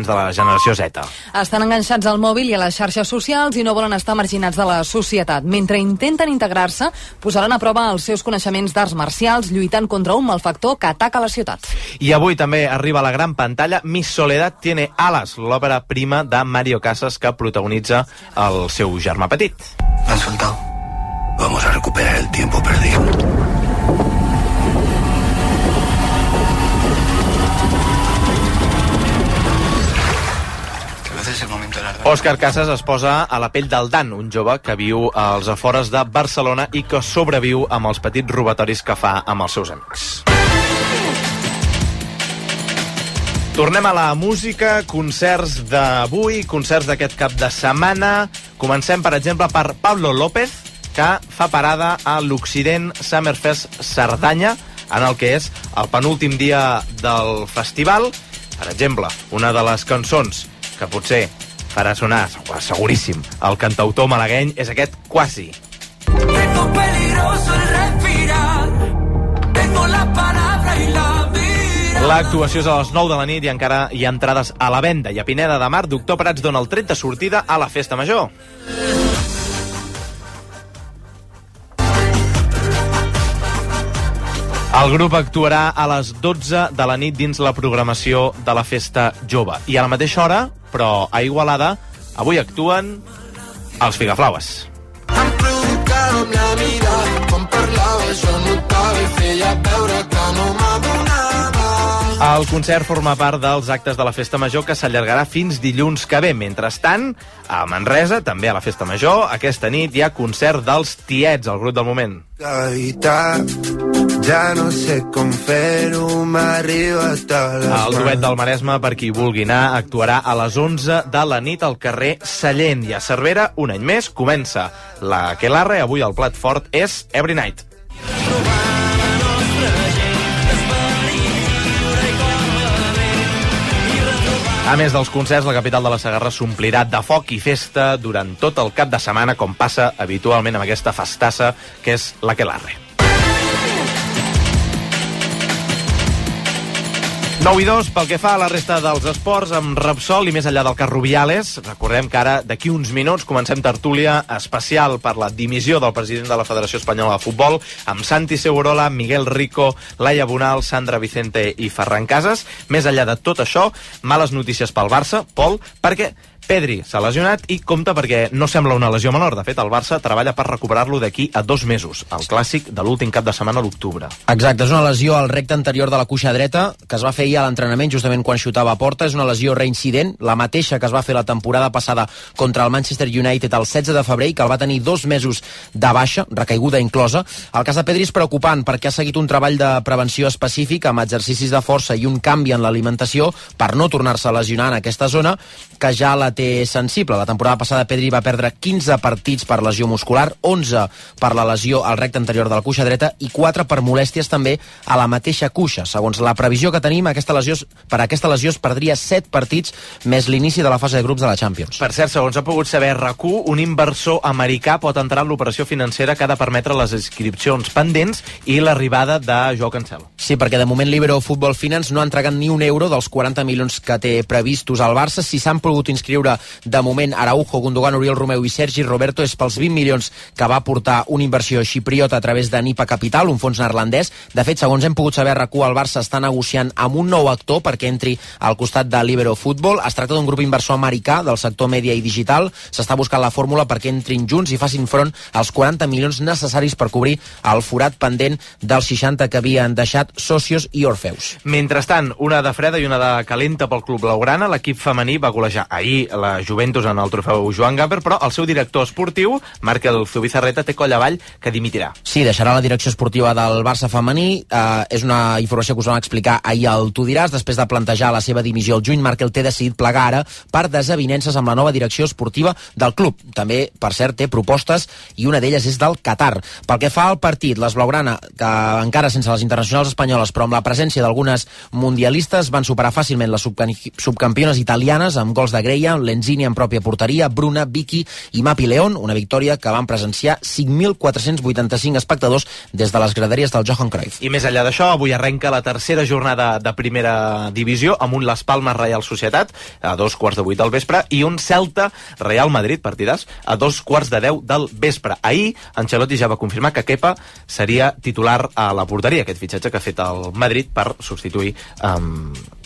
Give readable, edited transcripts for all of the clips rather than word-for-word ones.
de la generació Z. Estan enganxats al mòbil i a les xarxes socials i no volen estar marginats de la societat. Mentre intenten integrar-se, posaran a prova els seus coneixements d'arts marcials lluitant contra un malfactor que ataca la ciutat. I avui també arriba a la gran pantalla Mi Soledad tiene alas, l'òpera prima de Mario Casas que protagonitza el seu germà petit. ¿Me han soltado? Vamos a recuperar el tiempo perdido. Òscar Casas es posa a la pell del Dan, un jove que viu als afores de Barcelona i que sobreviu amb els petits robatoris que fa amb els seus amics. Tornem a la música, concerts d'avui, concerts d'aquest cap de setmana. Comencem, per exemple, per Pablo López, que fa parada a l'Occident Summerfest Cerdanya, en el que és el penúltim dia del festival. Per exemple, una de les cançons que potser farà sonar, seguríssim, el cantautor malagueny és aquest Quasi. Tengo peligroso el respirar, tengo la palabra y la vida. L'actuació és a les 9 de la nit i encara hi ha entrades a la venda. I a Pineda de Mar, Doctor Prats dona el tret de sortida a la Festa Major. El grup actuarà a les 12 de la nit dins la programació de la Festa Jove. I a la mateixa hora, però a Igualada, avui actuen els Figaflaues. Em provocava amb la mirada, quan parlava jo notava i feia veure que no m'adonava. El concert forma part dels actes de la Festa Major que s'allargarà fins dilluns que ve. Mentrestant, a Manresa, també a la Festa Major, aquesta nit hi ha concert dels Tiets, el grup del moment. Ja no sé com fer-ho, m'arriba tot les El duet del Maresme, per qui vulgui anar, actuarà a les 11 de la nit al carrer Sallent. I a Cervera, un any més, comença la Aquelarre. Avui el plat fort és Every Night. A més dels concerts, la capital de la Segarra s'omplirà de foc i festa durant tot el cap de setmana, com passa habitualment amb aquesta festassa que és l'Aquelarre. 9-2, pel que fa a la resta dels esports, amb Repsol i més enllà del cas Rubiales. Recordem que ara, d'aquí uns minuts, comencem tertúlia especial per la dimissió del president de la Federació Espanyola de Futbol, amb Santi Segurola, Miguel Rico, Laia Bonal, Sandra Vicente i Ferran Casas. Més enllà de tot això, males notícies pel Barça, Pol, perquè Pedri s'ha lesionat i compta perquè no sembla una lesió menor. De fet, el Barça treballa per recuperar-lo d'aquí a 2 mesos, el clàssic de l'últim cap de setmana a l'octubre. Exacte, és una lesió al recte anterior de la cuixa dreta que es va fer ahir a l'entrenament justament quan xutava a porta. És una lesió reincident, la mateixa que es va fer la temporada passada contra el Manchester United el 16 de febrer, que el va tenir 2 mesos de baixa, recaiguda inclosa. El cas de Pedri és preocupant perquè ha seguit un treball de prevenció específic amb exercicis de força i un canvi en l'alimentació per no tornar-se a lesionar en aquesta zona, que ja la té sensible. La temporada passada Pedri va perdre 15 partits per lesió muscular, 11 per la lesió al recte anterior de la cuixa dreta i 4 per molèsties també a la mateixa cuixa. Segons la previsió que tenim, per aquesta lesió es perdria 7 partits més l'inici de la fase de grups de la Champions. Per cert, segons ha pogut saber RAC1, un inversor americà pot entrar en l'operació financera que ha de permetre les inscripcions pendents i l'arribada de Joao Cancelo. Sí, perquè de moment Libero Football Finance no ha entregat ni un euro dels 40 milions que té previstos al Barça. Si s'han pogut inscriure de moment Araujo, Gundogan, Oriol Romeu i Sergi Roberto, és pels 20 milions que va aportar una inversió xipriota a través de Nipa Capital, un fons neerlandès. De fet, segons hem pogut saber, RAC1, el Barça està negociant amb un nou actor perquè entri al costat de Libero Football. Es tracta d'un grup inversor americà del sector mèdia i digital. S'està buscant la fórmula perquè entrin junts i facin front als 40 milions necessaris per cobrir el forat pendent dels 60 que havien deixat Socios i Orfeus. Mentrestant, una de freda i una de calenta pel club blaugrana. L'equip femení va golejar ahir la Juventus en el trofeu Joan Gamper, però el seu director esportiu, Markel Zubizarreta, té coll avall que dimitirà. Sí, deixarà la direcció esportiva del Barça femení. És una informació que us vam explicar ahir al Tu diràs. Després de plantejar la seva dimissió al juny, Markel té decidit plegar ara per desavinences amb la nova direcció esportiva del club. També, per cert, té propostes i una d'elles és del Qatar. Pel que fa al partit, les blaugrana, que encara sense les internacionals espanyoles, però amb la presència d'algunes mundialistes, van superar fàcilment les subcampiones italianes amb gols de Greia, Lenzini en pròpia porteria, Bruna, Vicky i Mapi León, una victòria que van presenciar 5.485 espectadors des de les graderies del Johan Cruyff. I més enllà d'això, avui arrenca la tercera jornada de primera divisió amb un Las Palmas Real Societat a 2:15 del vespre i un Celta Real Madrid, partidàs, a 2:10 del vespre. Ahir, Ancelotti ja va confirmar que Kepa seria titular a la porteria, aquest fitxatge que ha fet el Madrid per substituir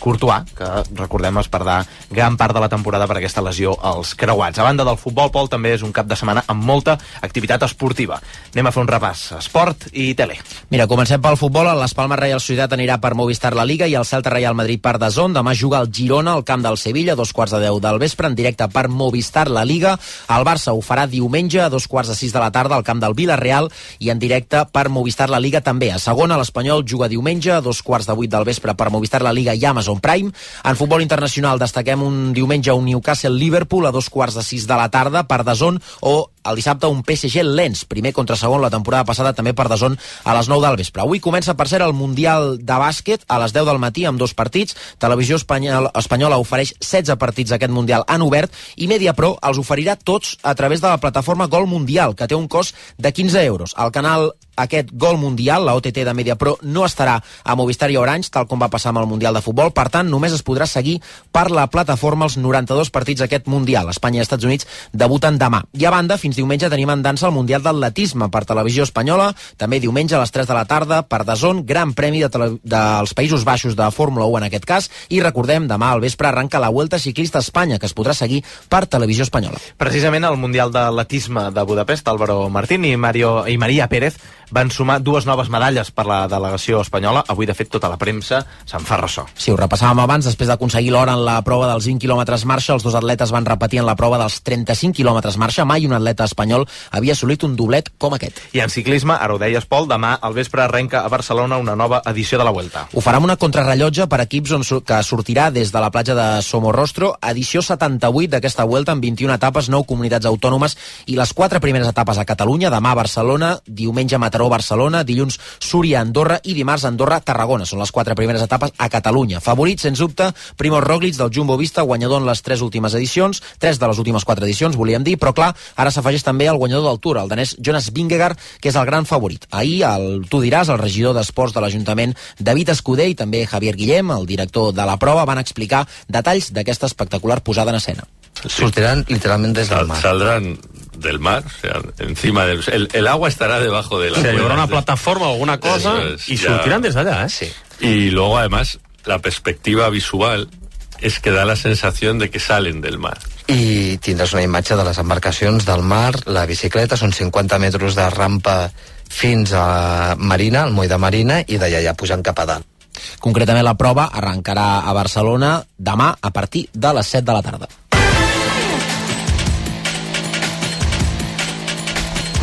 Courtois, que recordem es perdrà gran part de la temporada per aquesta lesió als creuats. A banda del futbol, Pol, també és un cap de setmana amb molta activitat esportiva. Anem a fer un repàs. Esport i tele. Mira, comencem pel futbol. El Las Palmas Real Societat anirà per Movistar La Liga i el Celta Real Madrid per DAZN. Demà juga el Girona al camp del Sevilla a 2:10 del vespre en directe per Movistar La Liga. El Barça ho farà diumenge a 2:06 de la tarda al camp del Villarreal i en directe per Movistar La Liga també. A segona, l'Espanyol juga diumenge a 2:08 del vespre per Movistar La Liga i Amazon Prime. En futbol internacional destaquem un diumenge un Newcastle-Liverpool a 2:06 de la tarda per DAZN o el dissabte un PSG-Lens, primer contra segon la temporada passada també per DAZN a les 9 del vespre. Avui comença per ser el Mundial de bàsquet a les 10 del matí amb 2 partits. Televisió espanyola ofereix 16 partits d'aquest Mundial en obert i Mediapro els oferirà tots a través de la plataforma Gol Mundial, que té un cost de 15 euros. El canal aquest Gol Mundial, la OTT de Mediapro, no estarà a Movistar i Orange, tal com va passar amb el Mundial de Futbol. Per tant, només es podrà seguir per la plataforma els 92 partits d'aquest Mundial. Espanya i Estats Units debuten demà. I a banda, fins diumenge tenim en dansa el Mundial d'Atletisme per Televisió Espanyola, també diumenge a les 3 de la tarda per DAZN, Gran Premi dels Països Baixos de Fórmula 1 en aquest cas, i recordem, demà al vespre arranca la Vuelta Ciclista a Espanya, que es podrà seguir per Televisió Espanyola. Precisament al Mundial d'Atletisme de Budapest, Álvaro Martín i Maria Pérez van sumar 2 noves medalles per la delegació espanyola. Avui, de fet, tota la premsa se'n fa ressò. Sí, ho repassàvem abans. Després d'aconseguir l'or en la prova dels 20 quilòmetres marxa, els dos atletes van repetir en la prova dels 35 quilòmetres marxa. Mai un atleta espanyol havia assolit un doblet com aquest. I en ciclisme, ara ho deies, Pol, demà al vespre arrenca a Barcelona una nova edició de la Vuelta. Ho farà amb una contrarrellotge per equips que sortirà des de la platja de Somorrostro, edició 78 d'aquesta Vuelta amb 21 etapes, 9 comunitats autònomes i les 4 primeres etapes a Catalunya. Demà a Barcelona, diumenge a Mataró-Barcelona, dilluns Súria-Andorra i dimarts Andorra-Tarragona. Són les 4 primeres etapes a Catalunya. Favorit, sens dubte, Primož Roglič del Jumbo Visma, guanyador en les 3 últimes edicions, 3 de les últimes 4 edicions, volíem dir, però clar, ara s'afegeix també el guanyador del Tour, el danès Jonas Vingegaard, que és el gran favorit. Ahir, tu diràs, el regidor d'Esports de l'Ajuntament, David Escudé, i també Javier Guillem, el director de la prova, van explicar detalls d'aquesta espectacular posada en escena. Sortirán literalmente desde el mar. Saldrán del mar, o sea, encima del... El agua estará debajo de la... O sea, llevará una plataforma o alguna cosa y sortirán desde allá, ¿eh? Sí. Y luego, además, la perspectiva visual es que da la sensación de que salen del mar. I tindràs una imatge de les embarcacions del mar, la bicicleta, són 50 metres de rampa fins a Marina, al moll de Marina, i d'allà ja pujan cap a dalt. Concretament, la prova arrencarà a Barcelona demà a partir de les 7 de la tarda.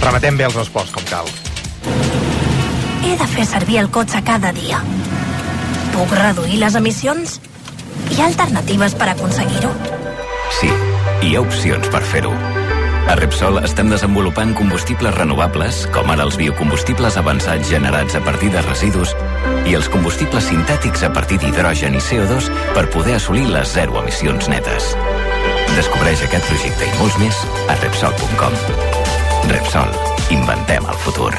Rematem bé els esports, com cal. He de fer servir el cotxe cada dia. Puc reduir les emissions? Hi ha alternatives per aconseguir-ho? Sí, hi ha opcions per fer-ho. A Repsol estem desenvolupant combustibles renovables, com ara els biocombustibles avançats generats a partir de residus i els combustibles sintètics a partir d'hidrogen i CO2 per poder assolir les 0 emissions netes. Descobreix aquest projecte i molts més a Repsol.com. Repsol. Inventem el futur.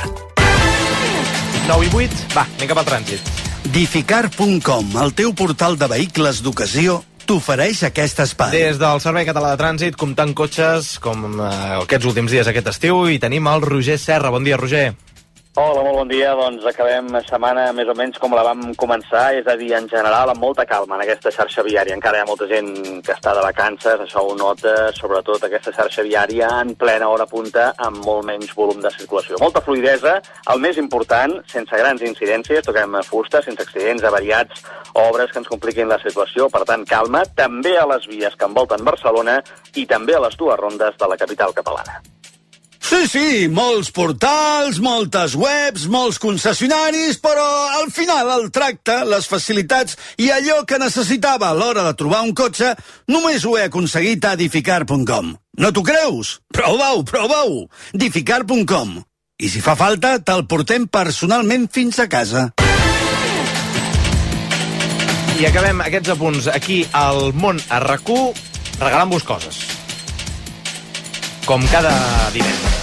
9 i 8, va, anem cap al trànsit. Dificar.com, el teu portal de vehicles d'ocasió, t'ofereix aquest espai. Des del Servei Català de Trànsit, comptant cotxes com aquests últims dies aquest estiu, i tenim el Roger Serra. Bon dia, Roger. Hola, molt bon dia. Doncs acabem setmana més o menys com la vam començar, és a dir, en general, amb molta calma en aquesta xarxa viària. Encara hi ha molta gent que està de vacances, això ho nota, sobretot aquesta xarxa viària en plena hora punta, amb molt menys volum de circulació. Molta fluidesa, el més important, sense grans incidències, toquem fusta, sense accidents, avariats, obres que ens compliquin la situació, per tant, calma, també a les vies que envolten Barcelona i també a les 2 rondes de la capital catalana. Sí, molts portals, moltes webs, molts concessionaris, però al final el tracte, les facilitats i allò que necessitava a l'hora de trobar un cotxe només ho he aconseguit a Dificar.com. No t'ho creus? Prova-ho! Dificar.com. I si fa falta, te'l portem personalment fins a casa. I acabem aquests apunts aquí al Món a RAC1 regalant-vos coses. Com cada divendres.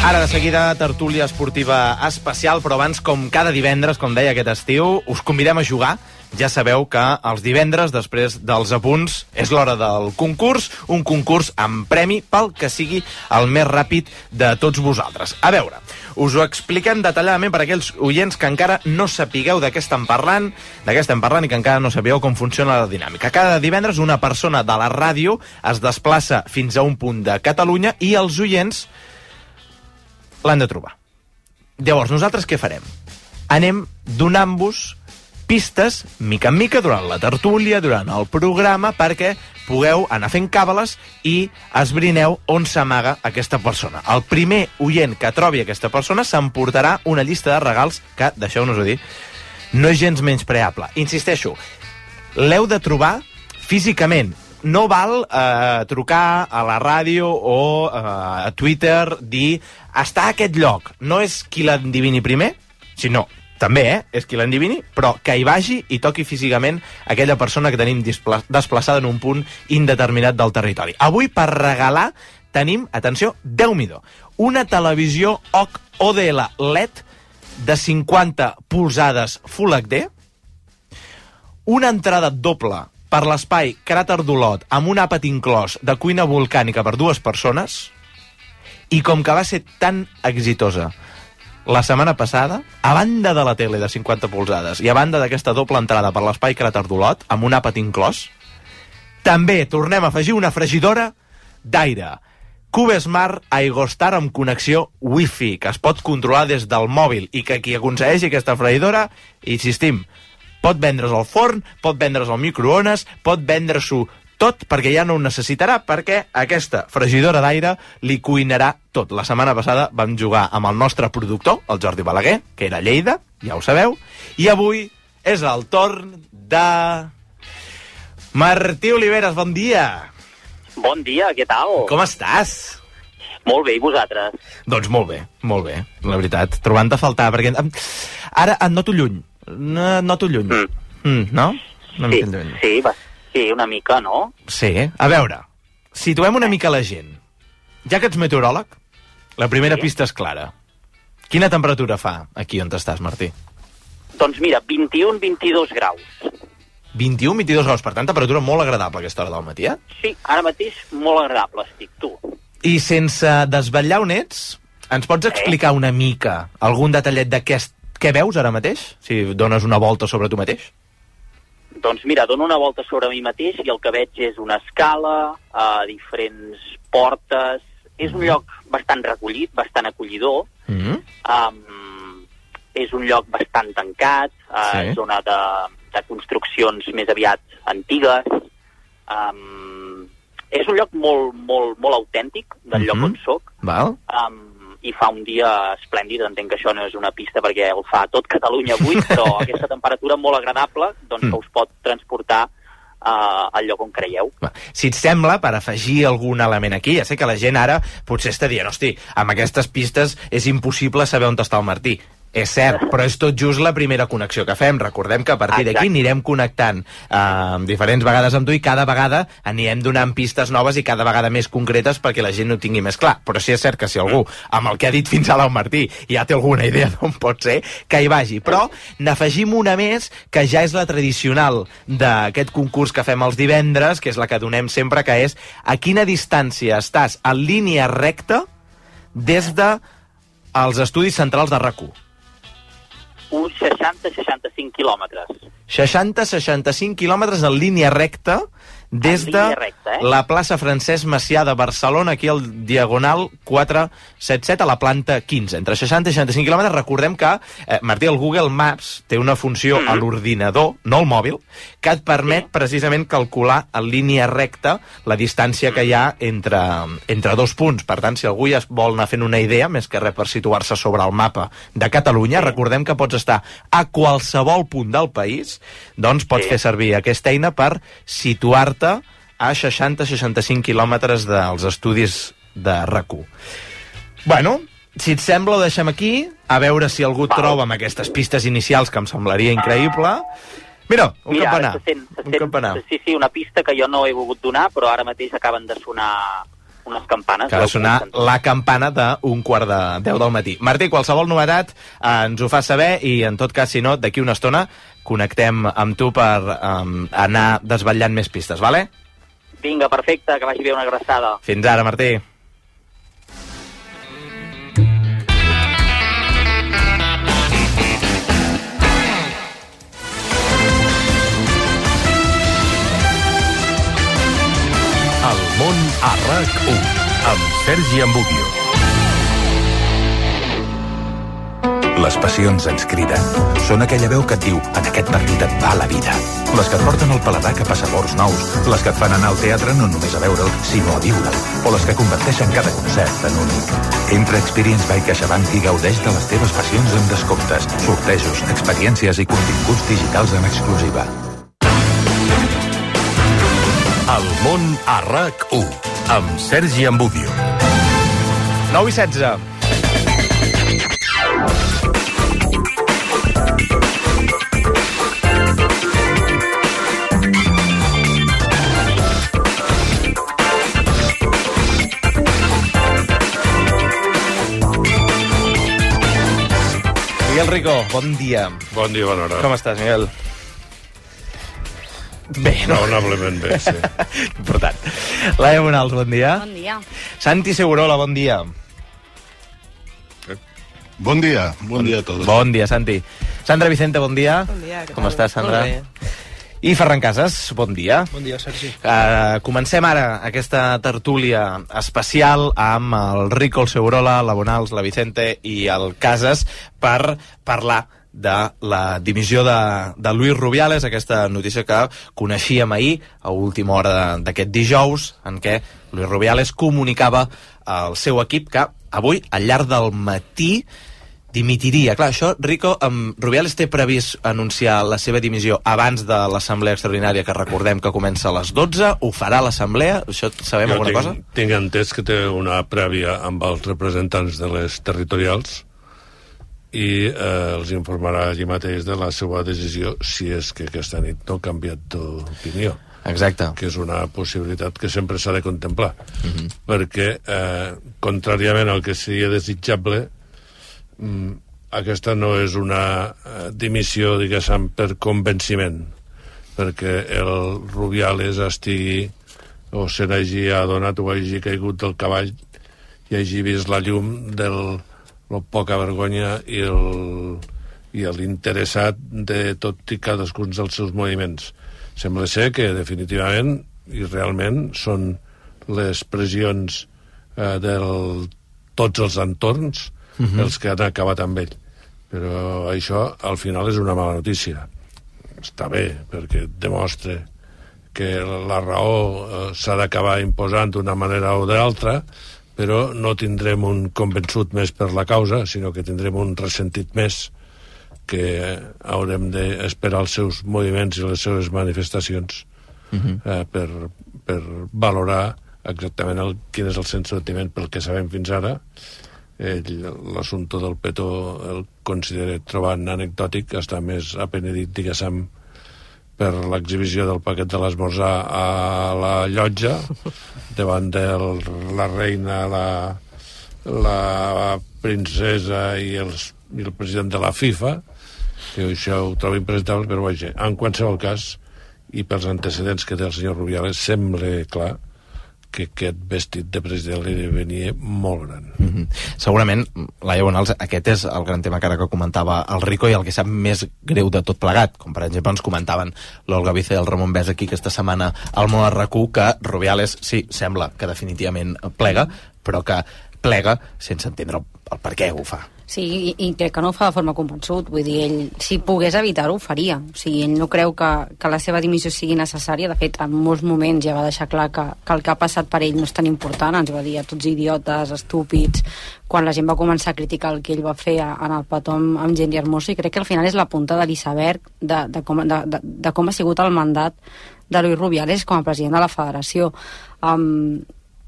Ara, de seguida, tertúlia esportiva especial, però abans, com cada divendres, com deia aquest estiu, us convidem a jugar. Ja sabeu que els divendres, després dels apunts, és l'hora del concurs, un concurs amb premi pel que sigui el més ràpid de tots vosaltres. A veure, us ho expliquem detalladament per aquells oients que encara no sapigueu de què estem parlant i que encara no sapigueu com funciona la dinàmica. Cada divendres una persona de la ràdio es desplaça fins a un punt de Catalunya i els oients l'han de trobar. Llavors, nosaltres què farem? Anem donant-vos pistes, mica en mica, durant la tertúlia, durant el programa, perquè pugueu anar fent càbales i esbrineu on s'amaga aquesta persona. El primer oient que trobi aquesta persona s'emportarà una llista de regals que, deixeu-nos-ho dir, no és gens menyspreable. Insisteixo, l'heu de trobar físicament. No val trucar a la ràdio o a Twitter, dir està a aquest lloc. No és qui l'endivini primer, sinó també, és qui l'endivini, però que hi vagi i toqui físicament aquella persona que tenim desplaçada en un punt indeterminat del territori. Avui, per regalar, tenim, atenció, Déu-n'hi-do, una televisió ODL LED de 50 polzades Full HD, una entrada doble per l'espai Cràter d'Olot amb un àpat inclòs de cuina volcànica per 2 persones, i com que va ser tan exitosa la setmana passada, a banda de la tele de 50 polzades i a banda d'aquesta doble entrada per l'espai Cràter d'Olot amb un àpat inclòs, també tornem a afegir una fregidora d'aire CubeSmart Aigostar amb connexió Wi-Fi, que es pot controlar des del mòbil, i que qui aconsegueixi aquesta fregidora, insistim, pot vendre's al forn, pot vendre's al microones, pot vendre-s'ho tot, perquè ja no ho necessitarà, perquè aquesta fregidora d'aire li cuinarà tot. La setmana passada vam jugar amb el nostre productor, el Jordi Balaguer, que era a Lleida, ja ho sabeu, i avui és el torn de Martí Oliveres. Bon dia. Bon dia, què tal? Com estàs? Molt bé, i vosaltres? Doncs molt bé, la veritat. Trobant-te a faltar, perquè ara et noto lluny. No, noto lluny. No? Una mica lluny. Sí, una mica, no? Sí. A veure, situem una mica la gent. Ja que ets meteoròleg, la primera pista és clara. Quina temperatura fa aquí on estàs, Martí? Doncs mira, 21-22 graus. 21-22 graus, per tant, temperatura molt agradable a aquesta hora del matí, eh? Sí, ara mateix molt agradable estic, tu. I sense desvetllar on ets, ens pots explicar una mica algun detallet què veus ara mateix? Si dones una volta sobre tu mateix? Doncs mira, dono una volta sobre mi mateix i el que veig és una escala, diferents portes. És un lloc bastant recollit, bastant acollidor. És un lloc bastant tancat, zona de construccions més aviat antigues. És un lloc molt autèntic del lloc on soc. Val. I fa un dia esplèndid. Entenc que això no és una pista perquè el fa tot Catalunya avui, però aquesta temperatura molt agradable, doncs que us pot transportar al lloc on creieu. Si et sembla, per afegir algun element aquí, ja sé que la gent ara potser està dient, hosti, amb aquestes pistes és impossible saber on està el Martí. És cert, però és tot just la primera connexió que fem. Recordem que a partir d'aquí anirem connectant diferents vegades amb tu i cada vegada anirem donant pistes noves i cada vegada més concretes perquè la gent ho tingui més clar. Però sí és cert que si algú, amb el que ha dit fins ara el Martí, ja té alguna idea d'on pot ser, que hi vagi. Però n'afegim una més, que ja és la tradicional d'aquest concurs que fem els divendres, que és la que donem sempre, que és a quina distància estàs en línia recta des dels estudis centrals de RAC1. Uns 60-65 quilòmetres. 60-65 quilòmetres en línia recta des de la plaça Francesc Macià de Barcelona, aquí al Diagonal 477, a la planta 15. Entre 60 i 65 quilòmetres. Recordem que, Martí, el Google Maps té una funció a l'ordinador, no al mòbil, que et permet precisament calcular en línia recta la distància que hi ha entre dos punts. Per tant, si algú ja vol anar fent una idea, més que res per situar-se sobre el mapa de Catalunya, recordem que pots estar a qualsevol punt del país, doncs pots fer servir aquesta eina per situar-te a 60-65 quilòmetres dels estudis de RAC1. Bueno, si et sembla, ho deixem aquí, a veure si algú troba amb aquestes pistes inicials, que em semblaria increïble. Mira, campanar. Un campanar. Sí, una pista que jo no he volgut donar, però ara mateix acaben de sonar unes campanes. Que ha de sonar la campana d'un 9:45 del matí. Martí, qualsevol novetat ens ho fa saber i, en tot cas, si no, d'aquí una estona connectem amb tu per anar desvetllant més pistes, vale? Vinga, perfecte, que vagi bé, una abraçada. Fins ara, Martí. El món a RAC1 amb Sergi Embubio. Les passions ens criden. Són aquella veu que et diu: en aquest partit et va la vida. Les que et porten el paladar cap a sabors nous. Les que et fan anar al teatre no només a veure'l, sinó a viure'l. O les que converteixen cada concert en únic. Entra a Experience by CaixaBank i gaudeix de les teves passions amb descomptes, sortejos, experiències i continguts digitals en exclusiva. El món a RAC1 amb Sergi Embubio. 9:16. Miguel Rico, bon dia. Bon dia, bona hora. Com estàs, Miguel? Bé, no? Raonablement bé, sí. Important. Laia Bonals, bon dia. Bon dia. Santi Segurola, bon dia. Bon dia a tots. Bon dia, Santi. Sandra Vicente, bon dia. Bon dia. Com estàs, Sandra? Molt bé. I Ferran Casas, bon dia. Bon dia, Sergi. Comencem ara aquesta tertúlia especial amb el Rico, el Segurola, la Bonals, la Vicente i el Casas per parlar de la dimissió de Luis Rubiales, aquesta notícia que coneixíem ahir a última hora d'aquest dijous, en què Luis Rubiales comunicava al seu equip que avui, al llarg del matí, dimitiria. Clar, això, Rico, Rubiales té previst anunciar la seva dimissió abans de l'assemblea extraordinària, que recordem que comença a les 12. Ho farà l'assemblea? Això sabem alguna cosa? Tinc entès que té una prèvia amb els representants de les territorials i els informarà allí mateix de la seva decisió, si és que aquesta nit no ha canviat d'opinió. Exacte. Que és una possibilitat que sempre s'ha de contemplar. Perquè, contràriament al que seria desitjable, aquesta no és una dimissió, diguéssim, per convenciment, perquè el Rubiales estigui o se n'hagi adonat o hagi caigut del cavall i hagi vist la llum del poca vergonya i l'interessat de tot i cadascun dels seus moviments. Sembla ser que definitivament i realment són les pressions de tots els entorns els que han acabat amb ell. Però això al final és una mala notícia. Està bé, perquè demostra que la raó s'ha d'acabar imposant d'una manera o d'altra, però no tindrem un convençut més per la causa, sinó que tindrem un ressentit més, que haurem d'esperar els seus moviments i les seves manifestacions per valorar exactament quin és el sentiment. Pel que sabem fins ara, l'assumpte del petó el considera trobant anecdòtic, està més apenedit, diguéssim, per l'exhibició del paquet de l'esmorzar a la llotja davant de la reina, la princesa i el president de la FIFA, que això ho trobo impresentable, però vaja, en qualsevol cas, i pels antecedents que té el senyor Rubiales, sembla clar que aquest vestit de president li venia molt gran. Segurament, Laia Bonals, aquest és el gran tema que ara que comentava el Rico i el que sap més greu de tot plegat, com per exemple ens comentaven l'Olga Vice i el Ramon Bès aquí aquesta setmana al món RAC1, que Rubiales sí, sembla que definitivament plega, però que plega sense entendre el per què ho fa. Sí, i crec que no ho fa de forma convençut. Vull dir, ell, si pogués evitar-ho, ho faria. O sigui, ell no creu que la seva dimissió sigui necessària. De fet, en molts moments ja va deixar clar que el que ha passat per ell no és tan important. Ens va dir a tots idiotes, estúpids, quan la gent va començar a criticar el que ell va fer en el petó amb Jenny Hermoso, i crec que al final és la punta de l'iceberg de com ha sigut el mandat de Luis Rubiales com a president de la federació.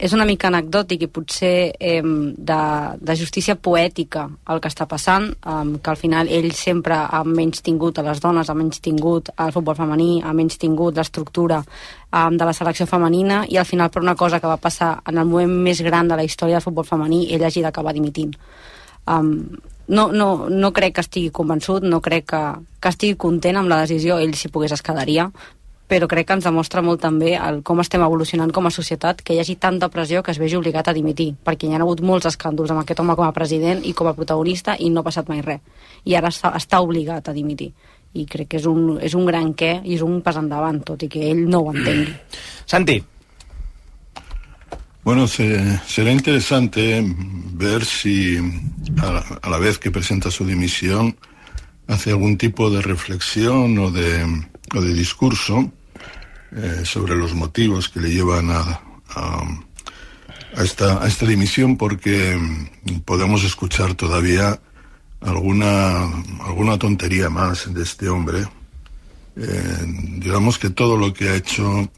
és una mica anecdòtic i potser de justícia poètica el que està passant, que al final ell sempre ha menystingut a les dones, ha menystingut al futbol femení, ha menystingut l'estructura de la selecció femenina, i al final per una cosa que va passar en el moment més gran de la història del futbol femení ell hagi d'acabar dimitint. No crec que estigui convençut, no crec que estigui content amb la decisió, ell si pogués es quedaria, però crec que ens demostra molt també com estem evolucionant com a societat, que hi hagi tanta pressió que es vegi obligat a dimitir, perquè hi ha hagut molts escàndols amb aquest home com a president i com a protagonista i no ha passat mai res, i ara està obligat a dimitir, i crec que és un gran què i és un pas endavant, tot i que ell no ho entengui. Santi. Bueno, será interesante ver si a la vez que presenta su dimisión hace algún tipo de reflexión o de discurso sobre los motivos que le llevan a esta dimisión, porque podemos escuchar todavía alguna tontería más de este hombre. Digamos que todo lo que ha hecho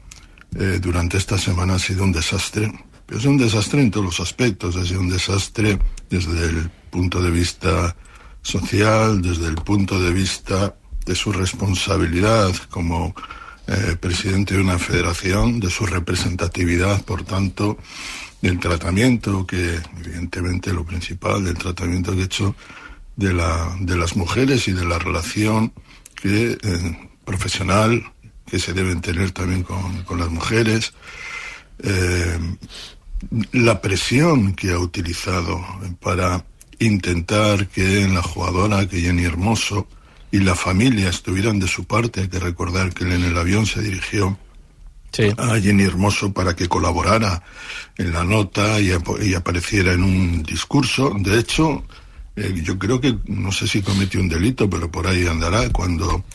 durante esta semana ha sido un desastre, pero es un desastre en todos los aspectos. Ha sido un desastre desde el punto de vista social, desde el punto de vista de su responsabilidad como presidente de una federación, de su representatividad, por tanto, del tratamiento que, evidentemente, lo principal, del tratamiento que ha hecho de las mujeres y de la relación profesional que se deben tener también con las mujeres, la presión que ha utilizado para intentar que la jugadora, que Jenny Hermoso, y la familia estuvieran de su parte. Hay que recordar que él en el avión se dirigió a Jenny Hermoso para que colaborara en la nota y apareciera en un discurso. De hecho, yo creo que, no sé si cometió un delito, pero por ahí andará, cuando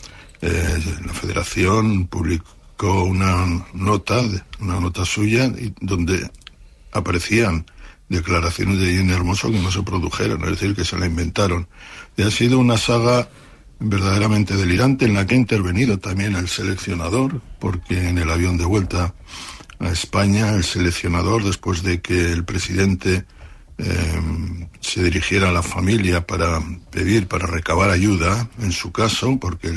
la Federación publicó una nota suya donde aparecían declaraciones de Jenny Hermoso que no se produjeron, es decir, que se la inventaron. Y ha sido una saga verdaderamente delirante, en la que ha intervenido también el seleccionador, porque en el avión de vuelta a España, el seleccionador, después de que el presidente se dirigiera a la familia para recabar ayuda, en su caso, porque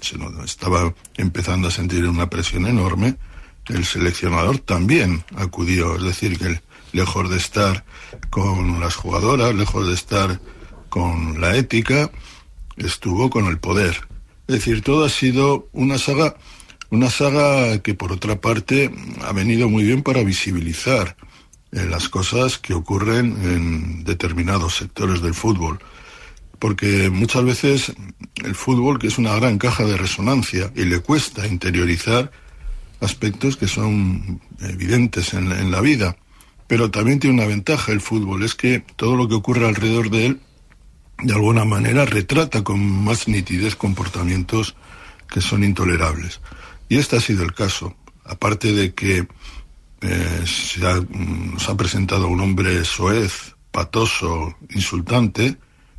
se estaba empezando a sentir una presión enorme, el seleccionador también acudió, es decir, que lejos de estar con las jugadoras, lejos de estar con la ética, estuvo con el poder. Es decir, todo ha sido una saga que, por otra parte, ha venido muy bien para visibilizar las cosas que ocurren en determinados sectores del fútbol. Porque muchas veces el fútbol, que es una gran caja de resonancia, y le cuesta interiorizar aspectos que son evidentes en la vida. Pero también tiene una ventaja el fútbol, es que todo lo que ocurre alrededor de él, de alguna manera, retrata con más nitidez comportamientos que son intolerables. Y este ha sido el caso. Aparte de que nos ha presentado un hombre soez, patoso, insultante,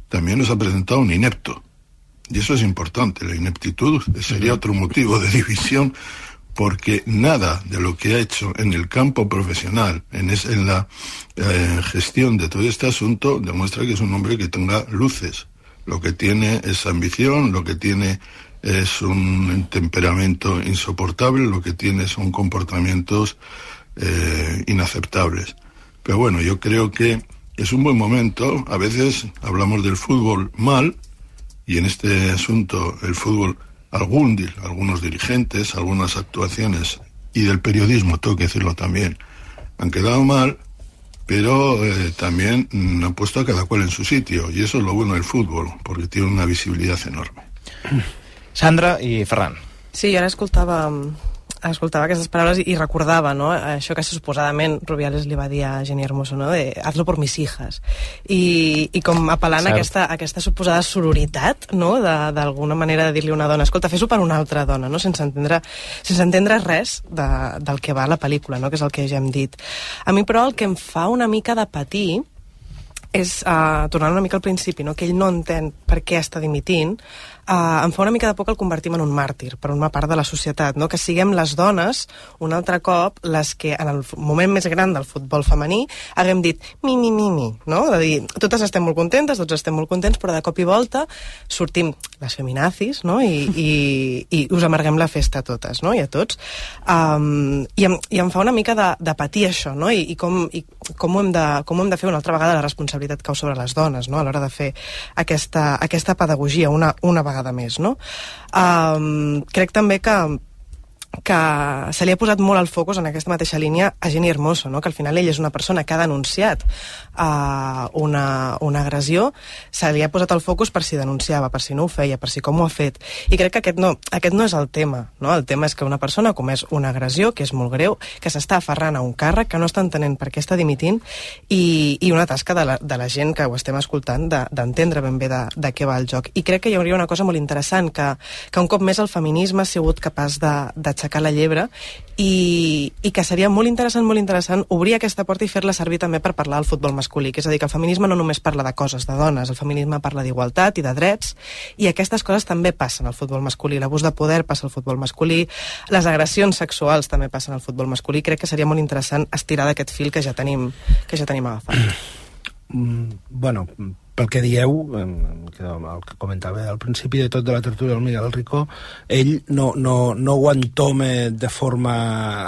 también nos ha presentado un inepto. Y eso es importante. La ineptitud sería otro motivo de división, porque nada de lo que ha hecho en el campo profesional, en la gestión de todo este asunto, demuestra que es un hombre que tenga luces. Lo que tiene es ambición, lo que tiene es un temperamento insoportable, lo que tiene son comportamientos inaceptables. Pero bueno, yo creo que es un buen momento. A veces hablamos del fútbol mal, y en este asunto el fútbol, algunos dirigentes, algunas actuaciones, y del periodismo, tengo que decirlo también, han quedado mal, pero también han puesto a cada cual en su sitio, y eso es lo bueno del fútbol, porque tiene una visibilidad enorme. Sandra i Ferran. Sí, jo ara escoltava aquestes paraules i recordava, no?, això que suposadament Rubiales li va dir a Jenny Hermoso, no?, de hazlo por mis hijas, i com apel·lant a aquesta suposada sororitat, no?, d'alguna manera de dir-li a una dona, escolta, fes-ho per una altra dona, no?, sense entendre res del que va la pel·lícula, no?, que és el que ja hem dit. A mi, però, el que em fa una mica de patir és, tornant una mica al principi, no? Que ell no entén per què està dimitint, em fa una mica de por que el convertim en un màrtir per una part de la societat, no? Que siguem les dones, un altre cop, les que en el moment més gran del futbol femení haguem dit mi, no? De dir, totes estem molt contentes, tots estem molt contents, però de cop i volta sortim les feminazis, no? I us amarguem la festa a totes, no? I a tots. I em fa una mica de patir això, no? I com ho hem de fer una altra vegada, la responsabilitat cau sobre les dones, no? A l'hora de fer aquesta pedagogia una vegada més, no? Crec també que se li ha posat molt el focus en aquesta mateixa línia a Jenni Hermoso, no? Que al final ell és una persona que ha denunciat una agressió, se li ha posat el focus per si denunciava, per si no ho feia, per si com ho ha fet, i crec que aquest no és el tema, no? El tema és que una persona ha comès una agressió, que és molt greu, que s'està aferrant a un càrrec, que no està entenent per què està dimitint, i una tasca de la gent que ho estem escoltant d'entendre ben bé de què va el joc. I crec que hi hauria una cosa molt interessant, que un cop més el feminisme ha sigut capaç d'aixecar la llebre, i que seria molt interessant obrir aquesta porta i fer-la servir també per parlar del futbol masculí, que és a dir, que el feminisme no només parla de coses de dones, el feminisme parla d'igualtat i de drets, i aquestes coses també passen al futbol masculí, l'abús de poder passa al futbol masculí, les agressions sexuals també passen al futbol masculí. Crec que seria molt interessant estirar d'aquest fil que ja tenim agafat. Bueno, pel que dieu, el que comentava al principi de tot de la tertúlia del Miguel Rico, ell no ho entoma de forma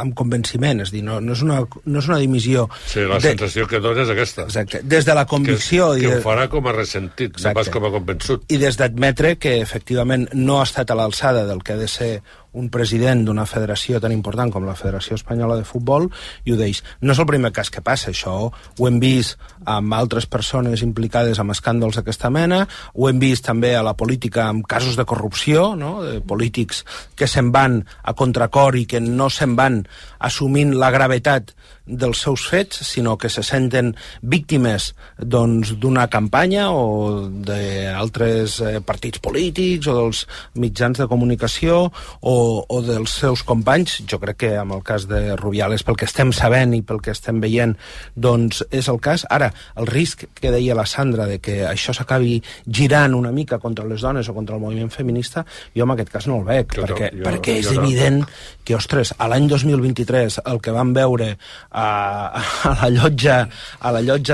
amb convenciment, és dir, no és una dimissió. Sí, la sensació que dona és aquesta. Exacte, des de la convicció. Que ho farà com a ressentit, no pas com a convençut. I des d'admetre que efectivament no ha estat a l'alçada del que ha de ser un president d'una federació tan important com la Federació Espanyola de Futbol, i ho deix. No és el primer cas que passa, això ho hem vist amb altres persones implicades amb escàndols d'aquesta mena, ho hem vist també a la política amb casos de corrupció, no? De polítics que se'n van a contracor i que no se'n van assumint la gravetat dels seus fets, sinó que se senten víctimes d'una campanya o d'altres partits polítics o dels mitjans de comunicació o dels seus companys. Jo crec que amb el cas de Rubiales, pel que estem sabent i pel que estem veient, doncs és el cas. Ara, el risc que deia la Sandra de que això s'acabi girant una mica contra les dones o contra el moviment feminista, jo en aquest cas no el veig, perquè és evident que, ostres, a l'any 2023 el que vam veure a la llotja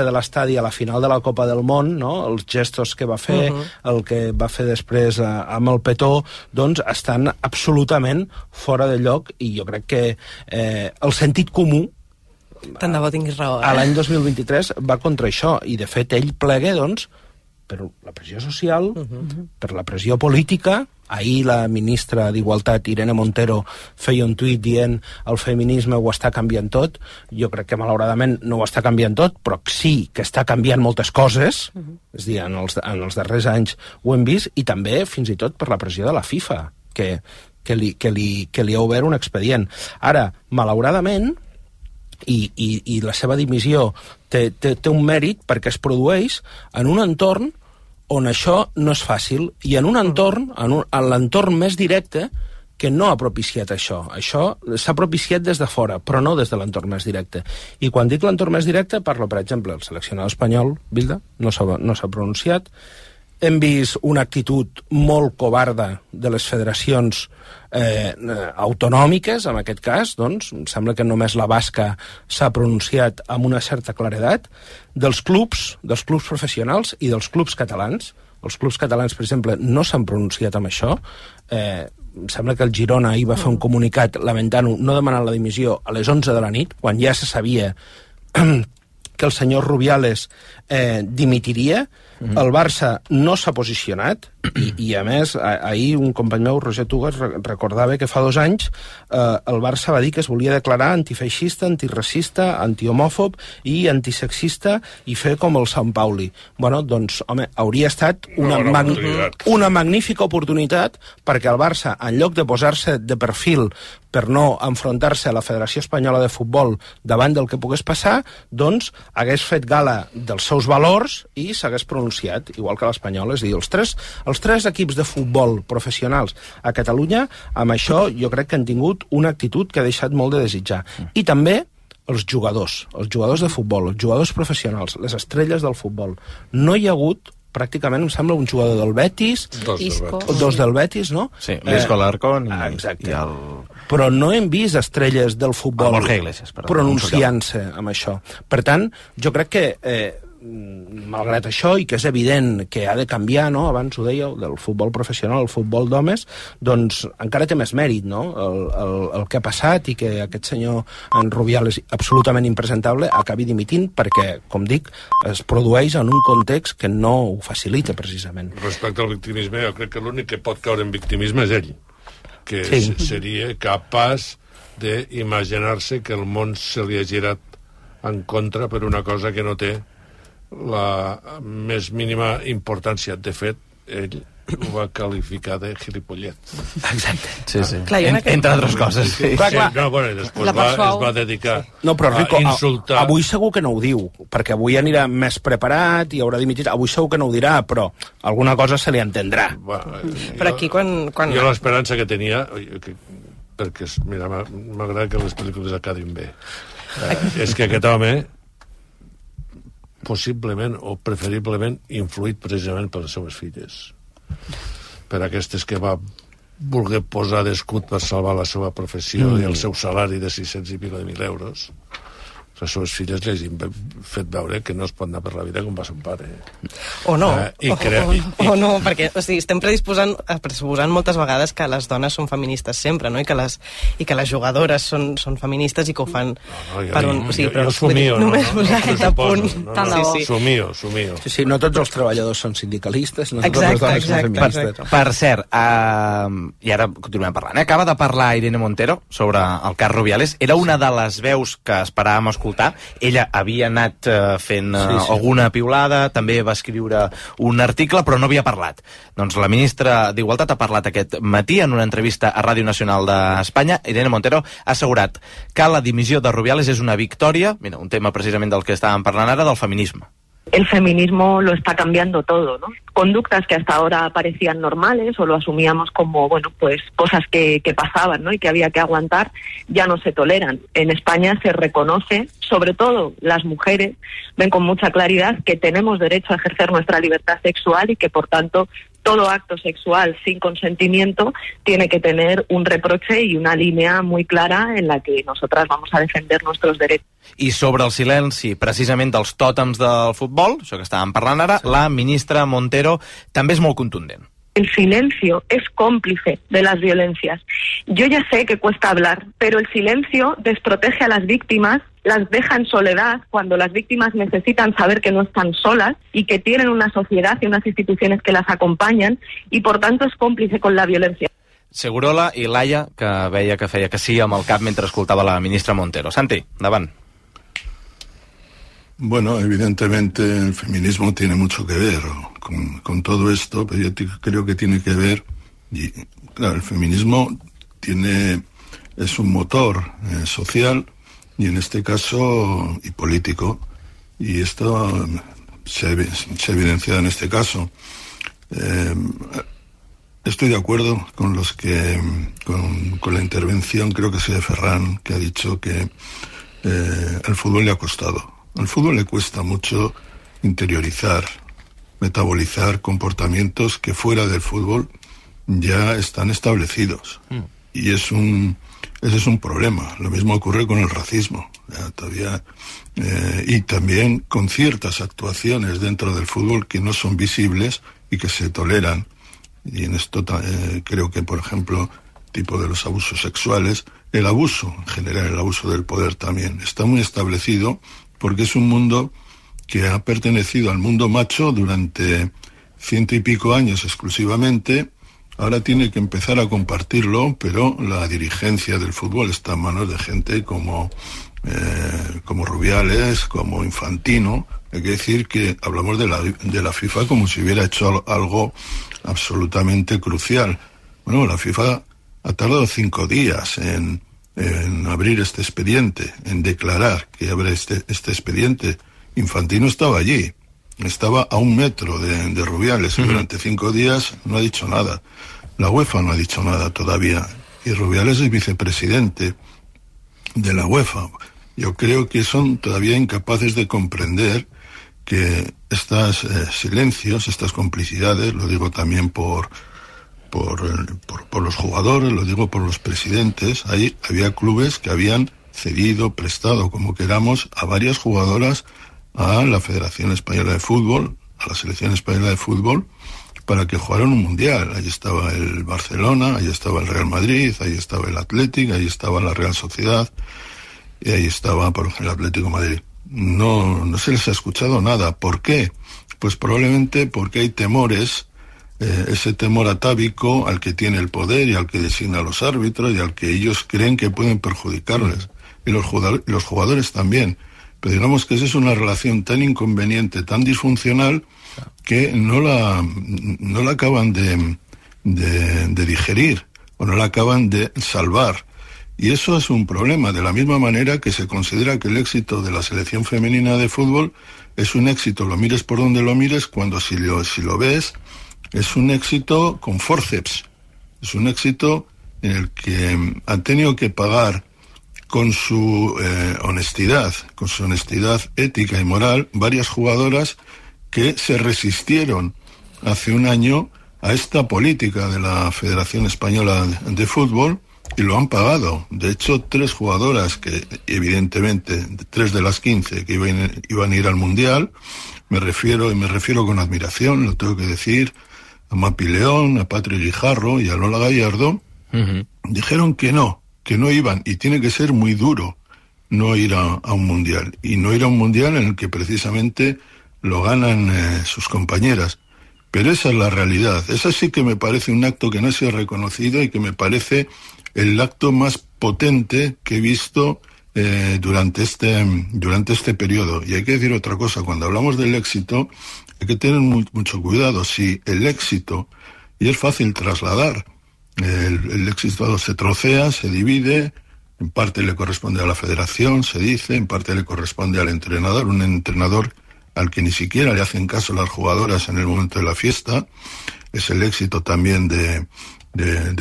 de l'estadi a la final de la Copa del Món, no? Els gestos que va fer, el que va fer després amb el petó, doncs estan absolutament fora de lloc, i jo crec que el sentit comú tant de bo tinguis raó, a l'any 2023 va contra això, i de fet ell plega doncs per la pressió social, per la pressió política. Ahir la ministra d'Igualtat, Irene Montero, feia un tuit dient el feminisme ho està canviant tot. Jo crec que malauradament no ho està canviant tot, però sí que està canviant moltes coses. És a dir, en els darrers anys ho hem vist, i també fins i tot per la pressió de la FIFA, que li ha obert un expedient. Ara, malauradament, i la seva dimissió té un mèrit perquè es produeix en un entorn on això no és fàcil, i en un entorn, en l'entorn més directe, que no ha propiciat això. Això s'ha propiciat des de fora, però no des de l'entorn més directe. I quan dic l'entorn més directe, parlo, per exemple, el seleccionador espanyol, Bilda, no s'ha pronunciat. Hem vist una actitud molt covarda de les federacions autonòmiques, en aquest cas, doncs, em sembla que només la basca s'ha pronunciat amb una certa claredat, dels clubs professionals i dels clubs catalans. Els clubs catalans, per exemple, no s'han pronunciat amb això. Em sembla que el Girona ahir va fer un comunicat lamentant-ho, no demanant la dimissió a les 11 de la nit, quan ja se sabia que el senyor Rubiales dimitiria. El Barça no s'ha posicionat, i a més, ahir un company meu, Roger Tugas, recordava que fa 2 anys el Barça va dir que es volia declarar antifeixista, antiracista, antihomòfob i antisexista, i fer com el Sant Pauli. Bueno, doncs, home, hauria estat una magnífica oportunitat perquè el Barça, en lloc de posar-se de perfil per no enfrontar-se a la Federació Espanyola de Futbol davant del que pogués passar, doncs hagués fet gala dels seus valors i s'hagués pronunciat, igual que l'Espanyol. És a dir, els tres equips de futbol professionals a Catalunya, amb això jo crec que han tingut una actitud que ha deixat molt de desitjar. I també els jugadors de futbol, els jugadors professionals, les estrelles del futbol. No hi ha hagut pràcticament, em sembla, un jugador del Betis, dos del Betis, no? Sí, l'Isco Alarcón exacte. Però no hem vist estrelles del futbol pronunciant-se amb això. Per tant, jo crec que malgrat això, i que és evident que ha de canviar, no? Abans ho dèieu, del futbol professional al futbol d'homes, doncs encara té més mèrit, no? El que ha passat i que aquest senyor en Rubiales, absolutament impresentable, acabi dimitint perquè, com dic, es produeix en un context que no ho facilita, precisament. Respecte al victimisme, jo crec que l'únic que pot caure en victimisme és ell, que seria capaç d'imaginar-se que el món se li ha girat en contra per una cosa que no té la més mínima importància. De fet, ell ho va qualificar de gilipollet. Exacte. Sí. Clar, entre altres coses. Sí. No, bueno, i després es va dedicar Rico, a insultar. Avui segur que no ho diu, perquè avui anirà més preparat i haurà dimitit. Avui segur que no ho dirà, però alguna cosa se li entendrà. Però aquí quan... Jo l'esperança que tenia, perquè, mira, m'agrada que les pel·lícules acabin bé, és que aquest home possiblement o preferiblement influït precisament per les seves filles, per aquestes que va voler posar d'escut per salvar la seva professió i el seu salari de 600 i pico de 1.000 euros. Les seves filles les han fet veure que no es pot anar per la vida com va son pare. O no, o no, perquè estem pressuposant moltes vegades que les dones són feministes sempre, no? I que les jugadores són feministes i que ho fan per un... Jo somio, només posar aquest apunt. Somio. Sí, no tots els treballadors són sindicalistes, no totes les dones són feministes. Per cert, i ara continuem parlant, acaba de parlar Irene Montero sobre el cas Rubiales. Era una de les veus que esperàvem escoltar. Ella havia anat fent alguna piulada, també va escriure un article, però no havia parlat. Doncs la ministra d'Igualtat ha parlat aquest matí en una entrevista a Ràdio Nacional d'Espanya. Irene Montero ha assegurat que la dimissió de Rubiales és una victòria, mira, un tema precisament del que estàvem parlant ara, del feminisme. El feminismo lo está cambiando todo, ¿no? Conductas que hasta ahora parecían normales o lo asumíamos como, bueno, pues cosas que pasaban, ¿no? Y que había que aguantar, ya no se toleran. En España se reconoce, sobre todo las mujeres, ven con mucha claridad que tenemos derecho a ejercer nuestra libertad sexual y que, por tanto, todo acto sexual sin consentimiento tiene que tener un reproche y una línea muy clara en la que nosotras vamos a defender nuestros derechos. I sobre el silenci, precisament dels tòtems del futbol, això que estàvem parlant ara, la ministra Montero també és molt contundent. El silencio es cómplice de las violencias. Yo ya sé que cuesta hablar, pero el silencio desprotege a las víctimas, las deja en soledad cuando las víctimas necesitan saber que no están solas y que tienen una sociedad y unas instituciones que las acompañan y por tanto es cómplice con la violencia. Segurola i Laia, que veia que feia que sí amb el cap mentre escoltava la ministra Montero. Santi, endavant. Bueno, evidentemente el feminismo tiene mucho que ver con todo esto, pero yo creo que tiene que ver, y claro, el feminismo es un motor social y en este caso y político, y esto se ha evidenciado en este caso. Estoy de acuerdo con con la intervención, creo que es de Ferran, que ha dicho que el fútbol le ha costado. Al fútbol le cuesta mucho interiorizar, metabolizar comportamientos que fuera del fútbol ya están establecidos. Y ese es un problema. Lo mismo ocurre con el racismo. Y también con ciertas actuaciones dentro del fútbol que no son visibles y que se toleran. Y en esto creo que, por ejemplo, tipo de los abusos sexuales, el abuso, en general el abuso del poder también, está muy establecido porque es un mundo que ha pertenecido al mundo macho durante 100 y pico años exclusivamente. Ahora tiene que empezar a compartirlo, pero la dirigencia del fútbol está en manos de gente como Rubiales, como Infantino. Hay que decir que hablamos de la FIFA como si hubiera hecho algo absolutamente crucial. Bueno, la FIFA ha tardado 5 días en abrir este expediente, en declarar que abre este expediente. Infantino estaba allí, estaba a 1 metro de Rubiales y durante 5 días no ha dicho nada. La UEFA no ha dicho nada todavía y Rubiales es vicepresidente de la UEFA. Bueno, la FIFA ha tardado 5 días en declarar que abre este expediente. Infantino estaba allí, estaba a 1 metro de Rubiales y durante 5 días no ha dicho nada. La UEFA no ha dicho nada todavía. Y Rubiales es vicepresidente de la UEFA. Y Rubiales es vicepresidente Yo creo que son todavía incapaces de comprender que estos silencios, estas complicidades, lo digo también por los jugadores, lo digo por los presidentes, había clubes que habían cedido, prestado, como queramos, a varias jugadoras a la Federación Española de Fútbol, a la Selección Española de Fútbol, para que jugaran un mundial. Ahí estaba el Barcelona, ahí estaba el Real Madrid, ahí estaba el Athletic, ahí estaba la Real Sociedad, y ahí estaba, por ejemplo, el Atlético de Madrid. No se les ha escuchado nada. ¿Por qué? Pues probablemente porque hay temores, ese temor atávico al que tiene el poder y al que designa a los árbitros y al que ellos creen que pueden perjudicarles. Y los jugadores también. Pero digamos que esa es una relación tan inconveniente, tan disfuncional, que no la acaban de digerir o no la acaban de salvar. Y eso es un problema, de la misma manera que se considera que el éxito de la selección femenina de fútbol es un éxito, lo mires por donde lo mires, cuando si lo ves, es un éxito con forceps. Es un éxito en el que han tenido que pagar con su honestidad ética y moral, varias jugadoras que se resistieron hace un año a esta política de la Federación Española de Fútbol, y lo han pagado. De hecho, 3 jugadoras que, evidentemente, 3 de las 15 que iban a ir al Mundial, me refiero con admiración, lo tengo que decir, a Mapi León, a Patri Guijarro y a Lola Gallardo, dijeron que no iban, y tiene que ser muy duro no ir a un Mundial, y no ir a un Mundial en el que precisamente lo ganan sus compañeras. Pero esa es la realidad. Esa sí que me parece un acto que no se ha reconocido y que me parece el acto más potente que he visto durante este periodo. Y hay que decir otra cosa, cuando hablamos del éxito hay que tener mucho cuidado. Si el éxito, y es fácil trasladar, el éxito se trocea, se divide, en parte le corresponde a la federación, se dice, en parte le corresponde al entrenador, un entrenador al que ni siquiera le hacen caso las jugadoras en el momento de la fiesta. Es el éxito también de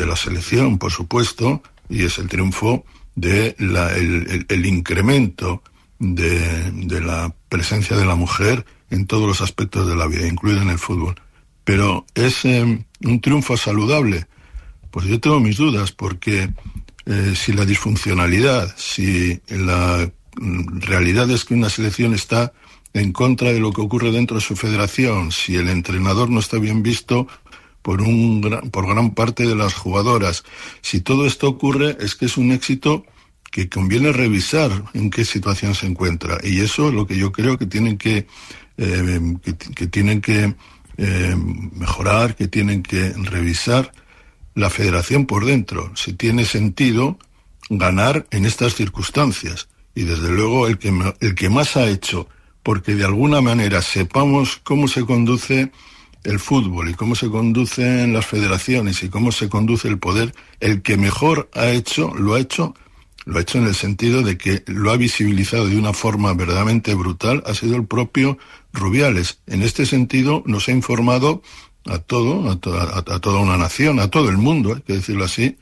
la selección, por supuesto, y es el triunfo el incremento de la presencia de la mujer en todos los aspectos de la vida, incluido en el fútbol. Pero es un triunfo saludable. Pues yo tengo mis dudas, porque si la disfuncionalidad, si la realidad es que una selección está en contra de lo que ocurre dentro de su federación, si el entrenador no está bien visto por gran parte de las jugadoras, si todo esto ocurre, es que es un éxito que conviene revisar en qué situación se encuentra. Y eso es lo que yo creo que tienen que mejorar, que tienen que revisar la federación por dentro, si tiene sentido ganar en estas circunstancias. Y desde luego el que más ha hecho porque de alguna manera sepamos cómo se conduce el fútbol y cómo se conducen las federaciones y cómo se conduce el poder, el que mejor lo ha hecho en el sentido de que lo ha visibilizado de una forma verdaderamente brutal, ha sido el propio Rubiales. En este sentido nos ha informado a toda una nación, a todo el mundo, hay que decirlo así,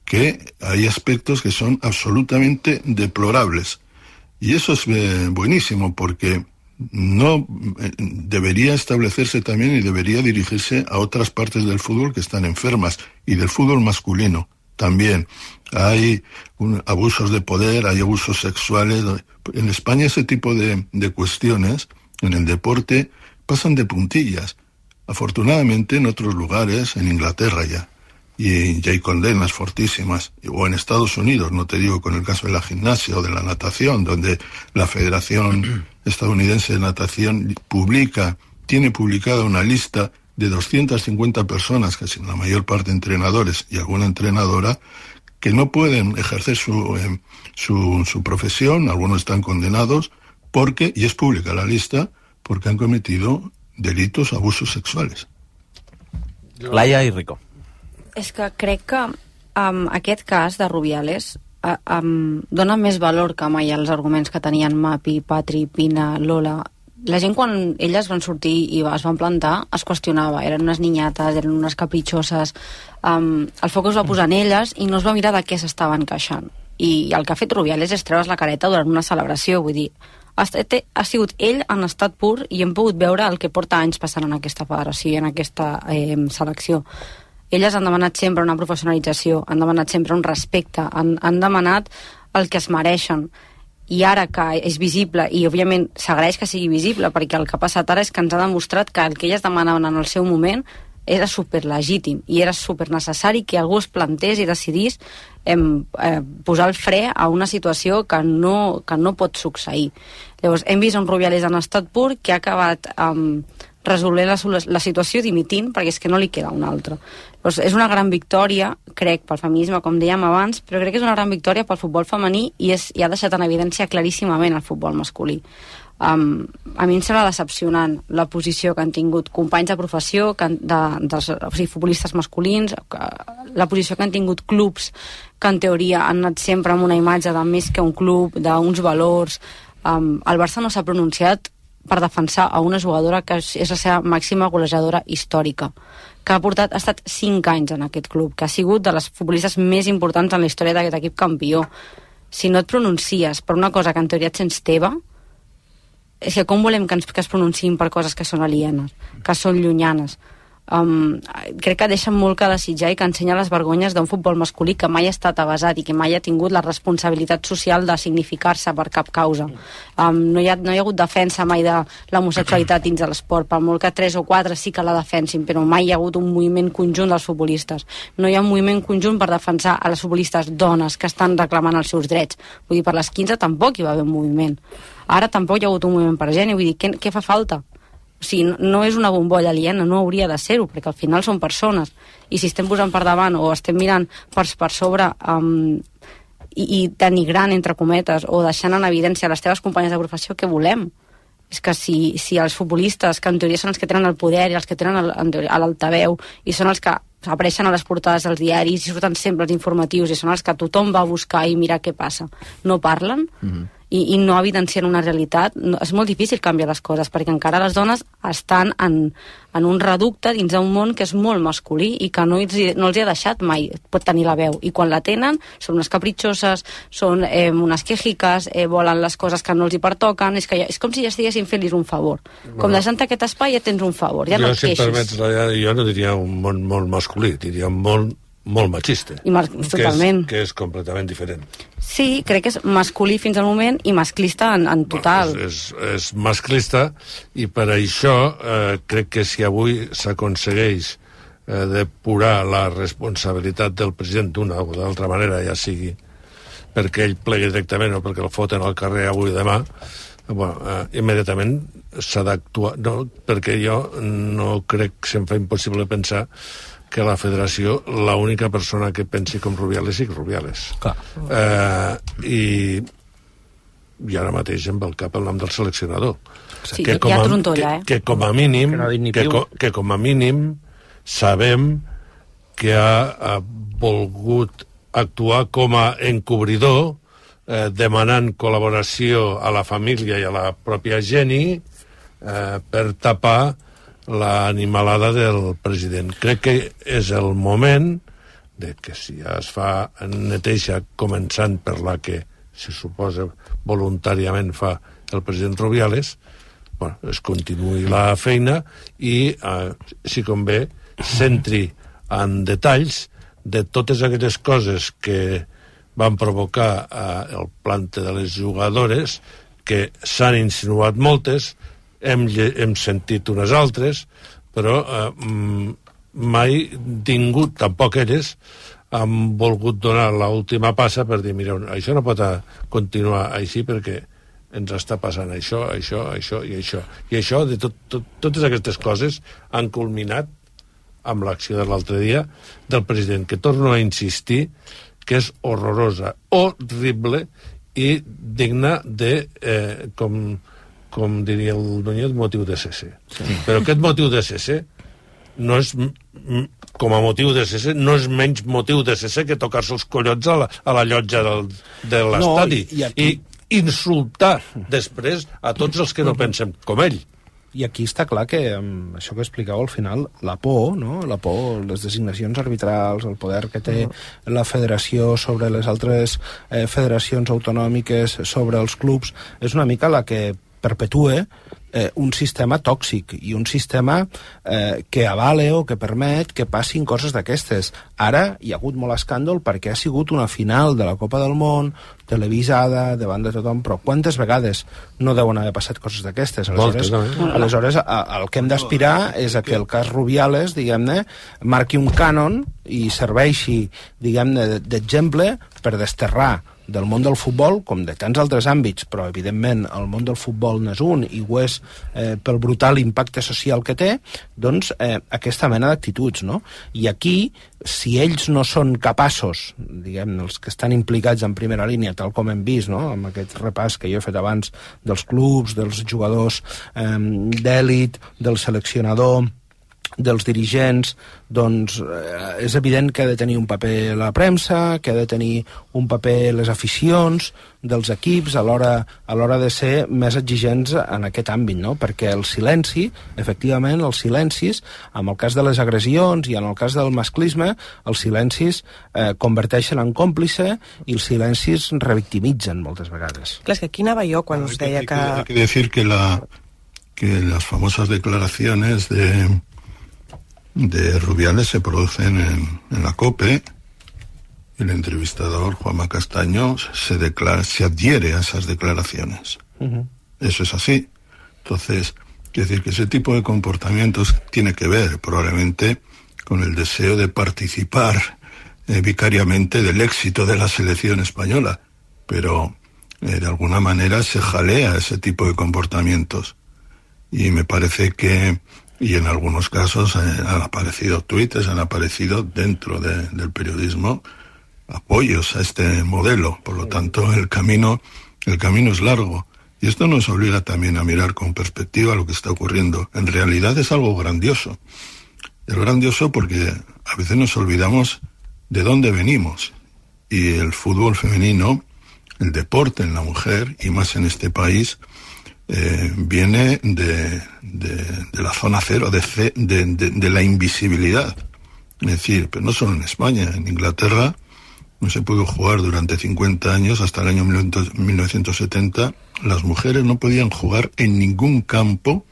que hay aspectos que son absolutamente deplorables. Y eso es buenísimo, porque no debería establecerse también y debería dirigirse a otras partes del fútbol que están enfermas, y del fútbol masculino también. Hay abusos de poder, hay abusos sexuales. En España ese tipo de cuestiones en el deporte pasan de puntillas. Afortunadamente en otros lugares, en Inglaterra ya hay condenas fortísimas, o en Estados Unidos, no te digo con el caso de la gimnasia o de la natación, donde la Federación Estadounidense de Natación tiene publicada una lista de 250 personas, casi la mayor parte entrenadores y alguna entrenadora, que no pueden ejercer su profesión. Algunos están condenados y es pública la lista, porque han cometido delitos, abusos sexuales. Laia i Rico. És que crec que aquest cas de Rubiales dona més valor que mai als arguments que tenien Mapi, Patri, Pina, Lola. La gent, quan elles van sortir i es van plantar, es qüestionava. Eren unes niñates, eren unes capritxoses. El foc es va posar en elles i no es va mirar de què s'estaven queixant. i el que ha fet Rubiales és treure's la careta durant una celebració, vull dir, ha sigut ell en estat pur i hem pogut veure el que porta anys passant en aquesta federació i en aquesta selecció. Elles han demanat sempre una professionalització, han demanat sempre un respecte, han demanat el que es mereixen, i ara que és visible, i òbviament s'agraeix que sigui visible, perquè el que ha passat ara és que ens ha demostrat que el que elles demanaven en el seu moment era superlegítim i era supernecessari que algú es plantés i decidís posar el fre a una situació que no pot succeir. Llavors, hem vist un Rubiales en estat pur que ha acabat resolent la situació dimitint, perquè és que no li queda una altra. Llavors, és una gran victòria, crec, pel feminisme, com dèiem abans, però crec que és una gran victòria pel futbol femení i ha deixat en evidència claríssimament el futbol masculí. A mi em sembla decepcionant la posició que han tingut companys de professió, futbolistes masculins, la posició que han tingut clubs que en teoria han anat sempre amb una imatge de més que un club, d'uns valors. El Barça no s'ha pronunciat per defensar a una jugadora que és la seva màxima golejadora històrica, que ha estat 5 anys en aquest club, que ha sigut de les futbolistes més importants en la història d'aquest equip campió. Si no et pronuncies per una cosa que en teoria et sents teva, és que com volem que es pronunciïn per coses que són alienes, que són llunyanes? Crec que deixen molt que desitjar i que ensenya les vergonyes d'un futbol masculí que mai ha estat avasat i que mai ha tingut la responsabilitat social de significar-se per cap causa. No hi ha hagut defensa mai de l'homosexualitat dins de l'esport, per molt que 3 o 4 sí que la defensin, però mai hi ha hagut un moviment conjunt dels futbolistes. No hi ha un moviment conjunt per defensar a les futbolistes dones que estan reclamant els seus drets. Vull dir, per les 15 tampoc hi va haver un moviment. Ara tampoc hi ha hagut un moviment per gent, i vull dir, què fa falta? O sigui, no és una bombolla aliena, no hauria de ser-ho, perquè al final són persones, i si estem posant per davant o estem mirant per sobre i denigrant, entre cometes, o deixant en evidència les teves companyes de professió, què volem? És que si els futbolistes, que en teoria són els que tenen el poder i els que tenen l'altaveu i són els que apareixen a les portades dels diaris i surten sempre els informatius i són els que tothom va a buscar i mirar què passa, no parlen, i no evidencien una realitat, és molt difícil canviar les coses, perquè encara les dones estan en un reducte dins d'un món que és molt masculí i que no els ha deixat mai pot tenir la veu, i quan la tenen són unes capritxoses, són unes quejiques, volen les coses que no els hi pertoquen, és com si ja estiguessin fent-los un favor, com deixant aquest espai ja tens un favor, ja no et queixis. Jo no diria un món molt masculí, diria un món molt machista, totalment. Que és completament diferent. Sí, crec que és masculí fins al moment i masclista en total. És masclista, i per això crec que si avui s'aconsegueix depurar la responsabilitat del president d'una o d'altra manera, ja sigui perquè ell plegui directament o perquè el foten al carrer avui o demà, immediatament s'ha d'actuar, perquè jo no crec, se'm fa impossible pensar que la federació, l'única persona que pensi com Rubiales sigui Rubiales. I ara mateix em ve al cap el nom del seleccionador. Sí, que hi ha trontolla, que com a mínim sabem que ha volgut actuar com a encobridor, demanant col·laboració a la família i a la pròpia Jenny per tapar l'animalada del president. Crec que és el moment de que si ja es fa neteja, començant per la que se suposa voluntàriament fa el president Rubiales, es continuï la feina i, si convé, centri en detalls de totes aquelles coses que van provocar el plante de les jugadores, que s'han insinuat moltes, hem sentit unes altres, però mai tingut, tampoc elles han volgut donar l'última passa per dir, mira, això no pot continuar així perquè ens està passant això i això. I això, totes aquestes coses han culminat amb l'acció de l'altre dia del president, que torno a insistir que és horrorosa, horrible i digna de, com diria el Núñez, motiu de cese. Però aquest motiu de cese no és, com a motiu de cese, no és menys motiu de cese que tocar-se els collons a la llotja de l'estadi i insultar després a tots els que no pensem com ell. I aquí està clar que, això que explicava al final, la por, no? La por, les designacions arbitrals, el poder que té la federació sobre les altres federacions autonòmiques, sobre els clubs, és una mica la que perpetue un sistema tòxic i un sistema que avale o que permet que passin coses d'aquestes. Ara hi ha hagut molt escàndol perquè ha sigut una final de la Copa del Món, televisada, davant de tothom, però quantes vegades no deuen haver passat coses d'aquestes? Aleshores, el que hem d'aspirar és a que el cas Rubiales, diguem-ne, marqui un cànon i serveixi, diguem-ne, d'exemple per desterrar del món del futbol, com de tants altres àmbits, però evidentment el món del futbol n'és un i ho és pel brutal impacte social que té, doncs aquesta mena d'actituds, no? I aquí, si ells no són capaços, diguem, els que estan implicats en primera línia, tal com hem vist, no?, amb aquest repàs que jo he fet abans dels clubs, dels jugadors d'èlit, del seleccionador, dels dirigents, doncs és evident que ha de tenir un paper la premsa, que ha de tenir un paper les aficions dels equips a l'hora de ser més exigents en aquest àmbit, no? Perquè el silenci, efectivament, els silencis, en el cas de les agressions i en el cas del masclisme, els silencis converteixen en còmplice i els silencis revictimitzen moltes vegades. Clar, és que aquí anava jo quan us deia que... Hay que decir que las famosas declaraciones de Rubiales se producen en la COPE y el entrevistador Juanma Castaño se adhiere a esas declaraciones. Eso es así. Entonces, quiero decir que ese tipo de comportamientos tiene que ver probablemente con el deseo de participar vicariamente del éxito de la selección española, pero de alguna manera se jalea ese tipo de comportamientos y me parece que y en algunos casos han aparecido tuites, han aparecido dentro del periodismo apoyos a este modelo. Por lo tanto, el camino es largo. Y esto nos obliga también a mirar con perspectiva lo que está ocurriendo. En realidad es algo grandioso. Es grandioso porque a veces nos olvidamos de dónde venimos. Y el fútbol femenino, el deporte en la mujer, y más en este país, viene de la zona cero, de la invisibilidad. Es decir, pero no solo en España, en Inglaterra no se pudo jugar durante 50 años, hasta el año 1970, las mujeres no podían jugar en ningún campo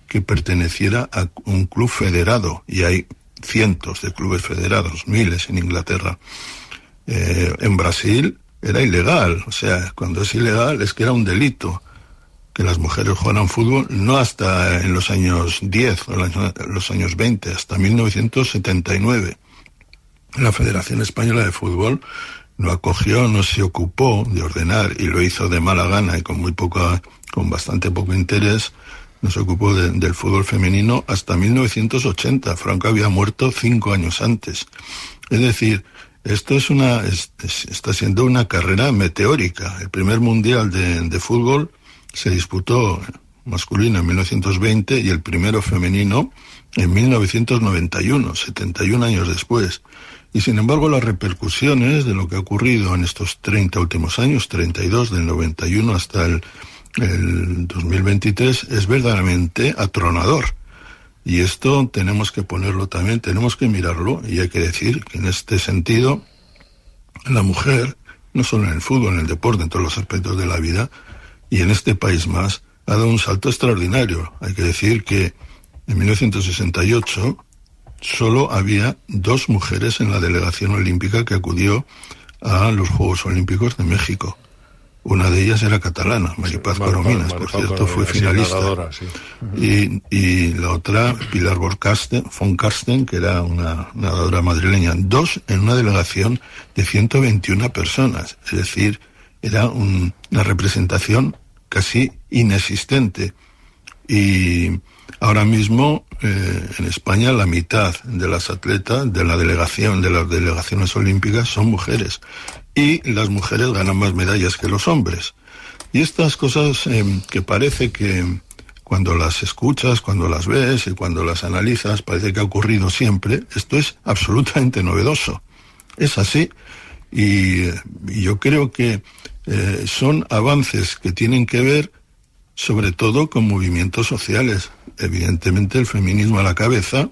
que perteneciera a un club federado, y hay cientos de clubes federados, miles en Inglaterra. En Brasil era ilegal, o sea, cuando es ilegal es que era un delito que las mujeres jugaran fútbol, no hasta en los años 10 o en los años 20, hasta 1979. La Federación Española de Fútbol no acogió, no se ocupó de ordenar, y lo hizo de mala gana y con bastante poco interés, no se ocupó del fútbol femenino hasta 1980. Franco había muerto 5 años antes. Es decir, esto está siendo una carrera meteórica. El primer mundial de fútbol se disputó masculino en 1920 y el primero femenino en 1991, 71 años después. Y sin embargo las repercusiones de lo que ha ocurrido en estos 30 últimos años, 32 del 91 hasta el 2023, es verdaderamente atronador. Y esto tenemos que ponerlo también, tenemos que mirarlo, y hay que decir que en este sentido la mujer, no solo en el fútbol, en el deporte, en todos los aspectos de la vida, y en este país más, ha dado un salto extraordinario. Hay que decir que en 1968 solo había 2 mujeres en la delegación olímpica que acudió a los Juegos Olímpicos de México. Una de ellas era catalana, Maripaz Corominas, por cierto, fue finalista. Sí. Y la otra, Pilar von Karsten, que era una nadadora madrileña. 2 en una delegación de 121 personas. Es decir, era una representación casi inexistente. Y ahora mismo en España la mitad de las atletas de las delegaciones olímpicas son mujeres, y las mujeres ganan más medallas que los hombres. Y estas cosas que parece que cuando las escuchas, cuando las ves y cuando las analizas parece que ha ocurrido siempre, esto es absolutamente novedoso. Es así, y yo creo que son avances que tienen que ver sobre todo con movimientos sociales. evidentemente el feminismo a la cabeza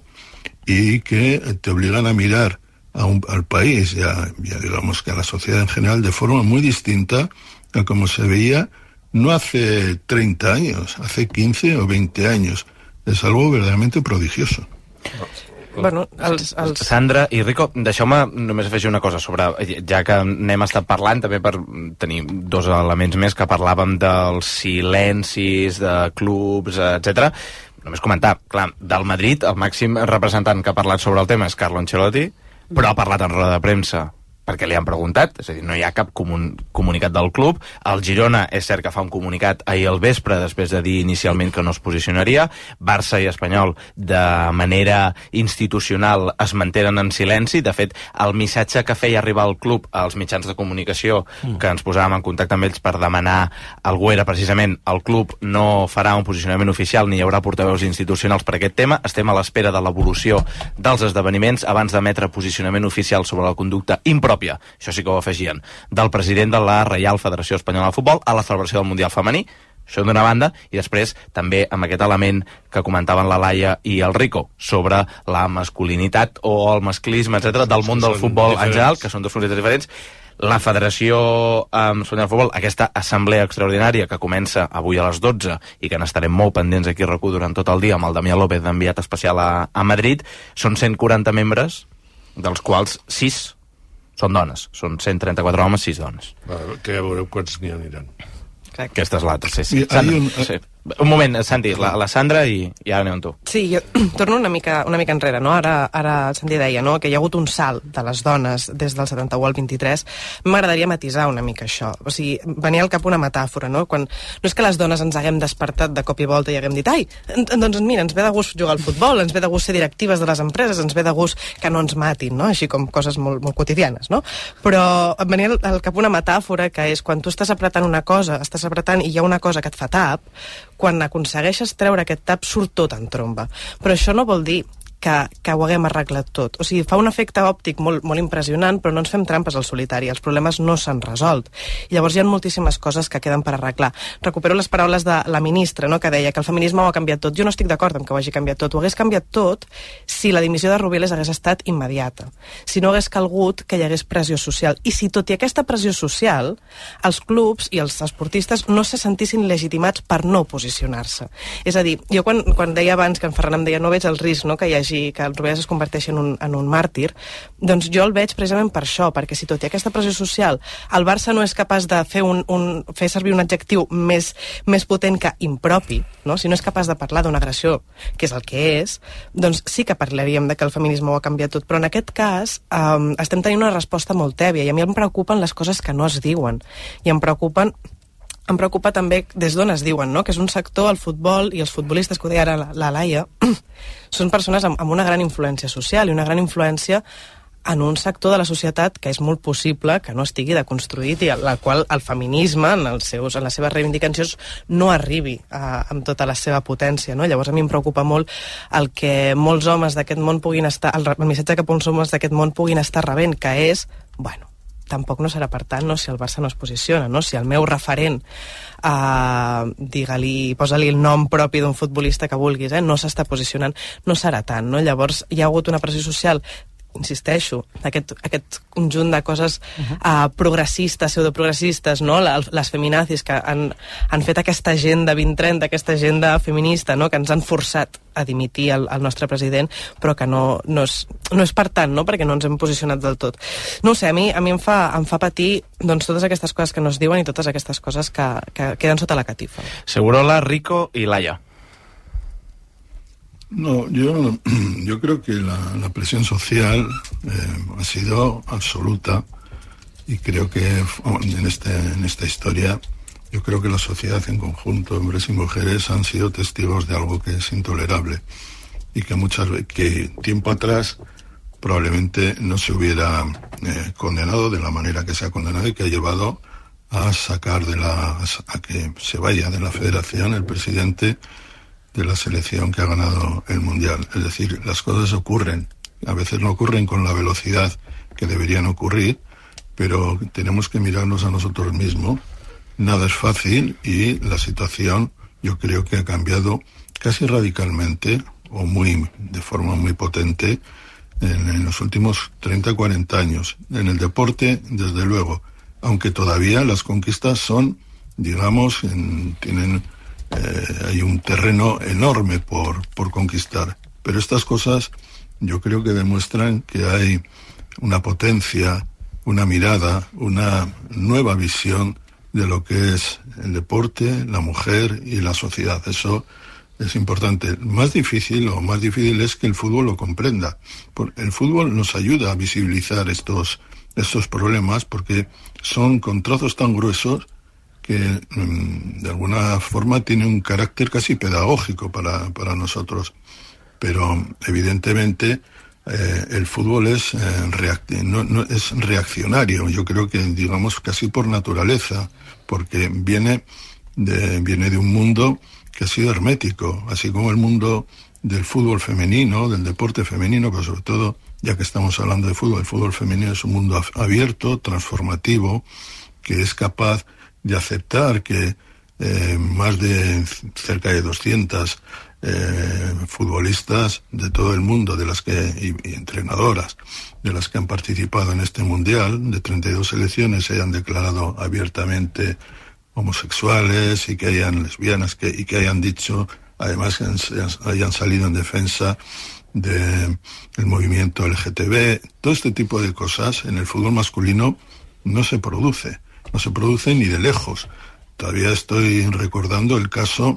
y que te obligan a mirar al país, ya digamos que a la sociedad en general, de forma muy distinta a como se veía no hace 30 años, hace 15 o 20 años. És algo verdaderamente prodigioso. Bueno, Sandra i Rico, deixeu-me només afegir una cosa sobre, ja que n'hem estat parlant també per tenir dos elements més que parlàvem dels silencis de clubs, etc. Només comentar, clar, del Madrid el màxim representant que ha parlat sobre el tema és Carlo Ancelotti, però ha parlat en roda de premsa perquè li han preguntat, és a dir, no hi ha cap comunicat del club. El Girona és cert que fa un comunicat ahir al vespre després de dir inicialment que no es posicionaria. Barça i Espanyol de manera institucional es mantenen en silenci. De fet, el missatge que feia arribar al club als mitjans de comunicació que ens posàvem en contacte amb ells per demanar algú era precisament el club no farà un posicionament oficial ni hi haurà portaveus institucionals per aquest tema. Estem a l'espera de l'evolució dels esdeveniments abans d'emetre posicionament oficial sobre la conducta impròpia, això sí que ho afegien, del president de la Reial Federació Espanyola de Futbol a la celebració del Mundial Femení, això d'una banda, i després també amb aquest element que comentaven la Laia i el Rico sobre la masculinitat o el masclisme, etc., del món del futbol en general, que són dos fronteres diferents. La Federació Espanyola de Futbol, aquesta assemblea extraordinària que comença avui a les 12 i que n'estarem molt pendents aquí a RAC1 durant tot el dia amb el Damià López d'enviat especial a Madrid, són 140 membres, dels quals 6 són dones, són 134 homes, 6 dones. Que ja veureu quants n'hi aniran. Aquesta és l'altra, sí. Sí. Un moment, Santi, la Sandra i ara anem amb tu. Sí, jo torno una mica enrere, no? Ara el Santi deia, no?, que hi ha hagut un salt de les dones des del 71 al 23. M'agradaria matisar una mica això. O sigui, venia al cap una metàfora, no? No és que les dones ens haguem despertat de cop i volta i haguem dit, ai, doncs mira, ens ve de gust jugar al futbol, ens ve de gust ser directives de les empreses, ens ve de gust que no ens matin, no? Així com coses molt, molt quotidianes, no? Però em venia al cap una metàfora que és quan tu estàs apretant una cosa, estàs apretant i hi ha una cosa que et fa tap, quan aconsegueixes treure aquest tap surt tot en tromba. Però això no vol dir que ho haguem arreglat tot. O sigui, fa un efecte òptic molt, molt impressionant, però no ens fem trampes al solitari. Els problemes no s'han resolt. I llavors hi ha moltíssimes coses que queden per arreglar. Recupero les paraules de la ministra, no?, que deia que el feminisme ho ha canviat tot. Jo no estic d'acord amb que ho hagi canviat tot. Ho hagués canviat tot si la dimissió de Rubiales hagués estat immediata. Si no hagués calgut que hi hagués pressió social. I si tot i aquesta pressió social, els clubs i els esportistes no se sentissin legitimats per no posicionar-se. És a dir, jo quan deia abans que en Ferran em deia no veig el risc, no?, que hi hagi que el Rubiales es converteixi en un màrtir, doncs jo el veig precisament per això, perquè si tot i aquesta pressió social el Barça no és capaç de fer servir un adjectiu més potent que impropi, no? Si no és capaç de parlar d'una agressió, que és el que és, doncs sí que parlaríem de que el feminisme ho ha canviat tot, però en aquest cas estem tenint una resposta molt tèbia i a mi em preocupen les coses que no es diuen i em preocupa també des d'on es diuen, no?, que és un sector, el futbol i els futbolistes, que ho deia ara la Laia, són persones amb una gran influència social i una gran influència en un sector de la societat que és molt possible que no estigui deconstruït i a la qual el feminisme, en les seves reivindicacions, no arribi amb tota la seva potència, no? Llavors a mi em preocupa molt el que molts homes d'aquest món puguin estar, el missatge que molts homes d'aquest món puguin estar rebent, que és, bueno, tampoc no serà per tant, no, si el Barça no es posiciona, no? Si el meu referent, digue-li, posa-li el nom propi d'un futbolista que vulguis, no s'està posicionant, no serà tant, no? Llavors hi ha hagut una pressió social, insisteixo, aquest conjunt de coses progressistes, pseudoprogressistes, no? Les feminazis que han fet aquesta agenda 2030, aquesta agenda feminista, no?, que ens han forçat a dimitir el nostre president, però que no és per tant, no?, perquè no ens hem posicionat del tot. No ho sé, a mi em fa patir doncs, totes aquestes cosas que no es diuen i totes aquestes coses que queden sota la catifa. Segurola, Rico y Laia. No, yo creo que la presión social ha sido absoluta y creo que en esta historia yo creo que la sociedad en conjunto, hombres y mujeres, han sido testigos de algo que es intolerable y que tiempo atrás probablemente no se hubiera condenado de la manera que se ha condenado y que ha llevado a sacar a que se vaya de la federación el presidente de la selección que ha ganado el Mundial. Es decir, las cosas ocurren. A veces no ocurren con la velocidad que deberían ocurrir, pero tenemos que mirarnos a nosotros mismos. Nada es fácil y la situación yo creo que ha cambiado casi radicalmente o de forma muy potente en los últimos 30-40 años. En el deporte, desde luego, aunque todavía las conquistas son, digamos, hay un terreno enorme por conquistar. Pero estas cosas yo creo que demuestran que hay una potencia, una mirada, una nueva visión de lo que es el deporte, la mujer y la sociedad. Eso es importante. Más difícil es que el fútbol lo comprenda. El fútbol nos ayuda a visibilizar estos problemas porque son con trozos tan gruesos que de alguna forma tienen un carácter casi pedagógico para nosotros. Pero evidentemente el fútbol es reaccionario. Yo creo que, digamos, casi por naturaleza, porque viene de un mundo que ha sido hermético, así como el mundo del fútbol femenino, del deporte femenino, pero sobre todo, ya que estamos hablando de fútbol, el fútbol femenino es un mundo abierto, transformativo, que es capaz de aceptar que más de cerca de 200 futbolistas de todo el mundo, y entrenadoras, de las que han participado en este mundial, de 32 selecciones, se hayan declarado abiertamente homosexuales y que hayan lesbianas y que hayan dicho, además, que hayan salido en defensa del movimiento LGTB. Todo este tipo de cosas en el fútbol masculino no se produce ni de lejos. Todavía estoy recordando el caso,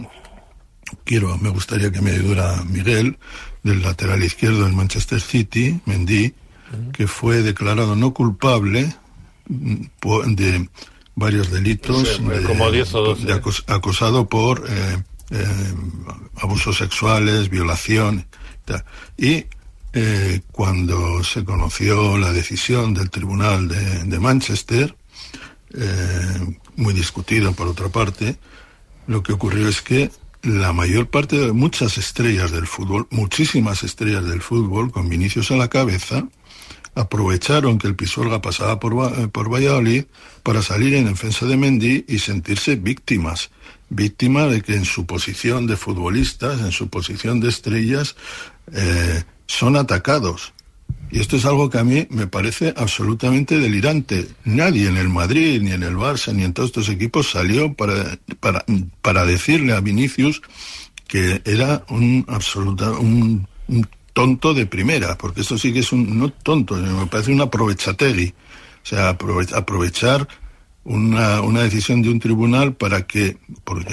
me gustaría que me ayudara Miguel, del lateral izquierdo del Manchester City, Mendy, que fue declarado no culpable de varios delitos, como 10 o 12. Acosado por abusos sexuales, violación, y cuando se conoció la decisión del Tribunal de Manchester, muy discutido por otra parte, lo que ocurrió es que la mayor parte de muchas estrellas del fútbol, muchísimas estrellas del fútbol, con Vinicius a la cabeza, aprovecharon que el Pisuerga pasaba por Valladolid para salir en defensa de Mendy y sentirse víctimas de que en su posición de futbolistas, en su posición de estrellas, son atacados. Y esto es algo que a mí me parece absolutamente delirante. Nadie en el Madrid, ni en el Barça, ni en todos estos equipos salió para decirle a Vinicius que era un tonto de primera, porque esto sí que es no tonto, me parece un aprovechategui. O sea, aprovechar una decisión de un tribunal porque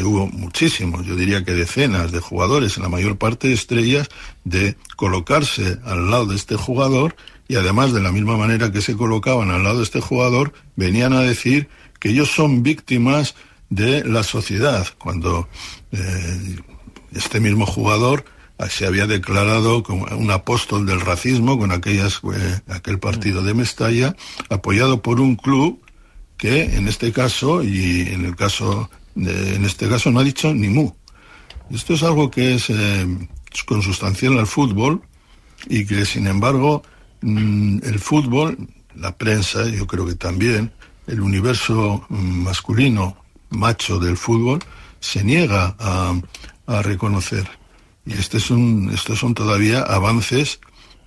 hubo muchísimos, yo diría que decenas de jugadores, en la mayor parte de estrellas, de colocarse al lado de este jugador, y además de la misma manera que se colocaban al lado de este jugador, venían a decir que ellos son víctimas de la sociedad, cuando este mismo jugador se había declarado como un apóstol del racismo con aquel partido de Mestalla, apoyado por un club que en este caso no ha dicho ni mu. Esto es algo que es consustancial al fútbol, y que sin embargo el fútbol, la prensa, yo creo que también el universo masculino, macho del fútbol, se niega a reconocer. Y estos son todavía avances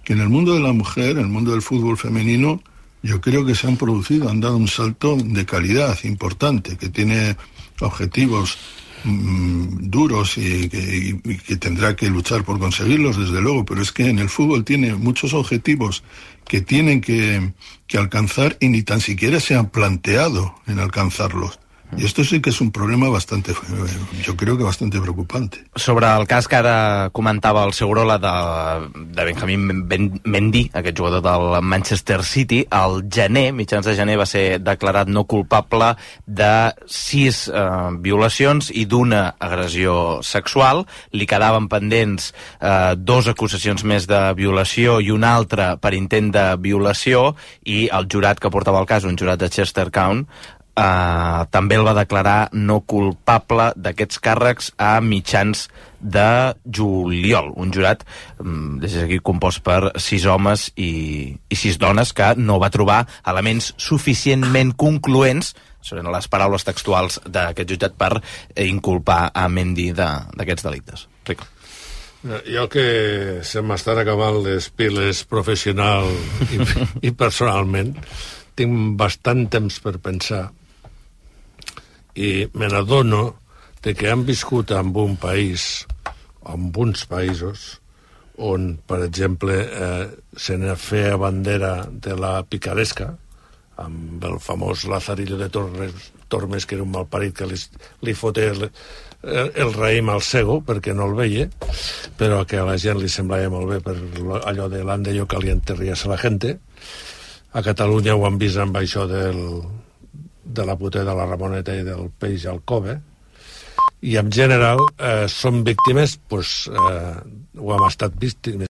que en el mundo de la mujer, en el mundo del fútbol femenino, yo creo que se han producido, han dado un salto de calidad importante, que tiene objetivos duros y que tendrá que luchar por conseguirlos, desde luego, pero es que en el fútbol tiene muchos objetivos que tienen que alcanzar y ni tan siquiera se han planteado en alcanzarlos. I esto sí que és un problema bastante, jo crec que bastante preocupante. Sobre el cas que ara comentava el Segurola de Benjamín Mendy, aquest jugador del Manchester City, al gener, mitjans de gener, va ser declarat no culpable de 6 violacions i d'una agressió sexual. Li quedaven pendents 2 acusacions més de violació i una altra per intent de violació, i el jurat que portava el cas, un jurat de Chestertown, també el va declarar no culpable d'aquests càrrecs a mitjans de juliol. Un jurat, des d'aquí, compost per 6 homes i 6 dones, que no va trobar elements suficientment concloents, són les paraules textuals d'aquest jutjat, per inculpar a Mendy d'aquests delictes. Explica. Jo que se m'estan acabant les piles professional i personalment, tinc bastant temps per pensar i me n'adono de que hem viscut en un país, en uns països, on, per exemple, se ne feia bandera de la picaresca, amb el famós Lazarillo de Tormes, que era un malparit que li foté el raïm al cego perquè no el veia, però que a la gent li semblava molt bé per allò de l'ande yo caliente ríase la gente. A Catalunya ho han vist amb això de la puta de la Ramoneta i del peix al cove, i en general són víctimes, ho hem estat víctimes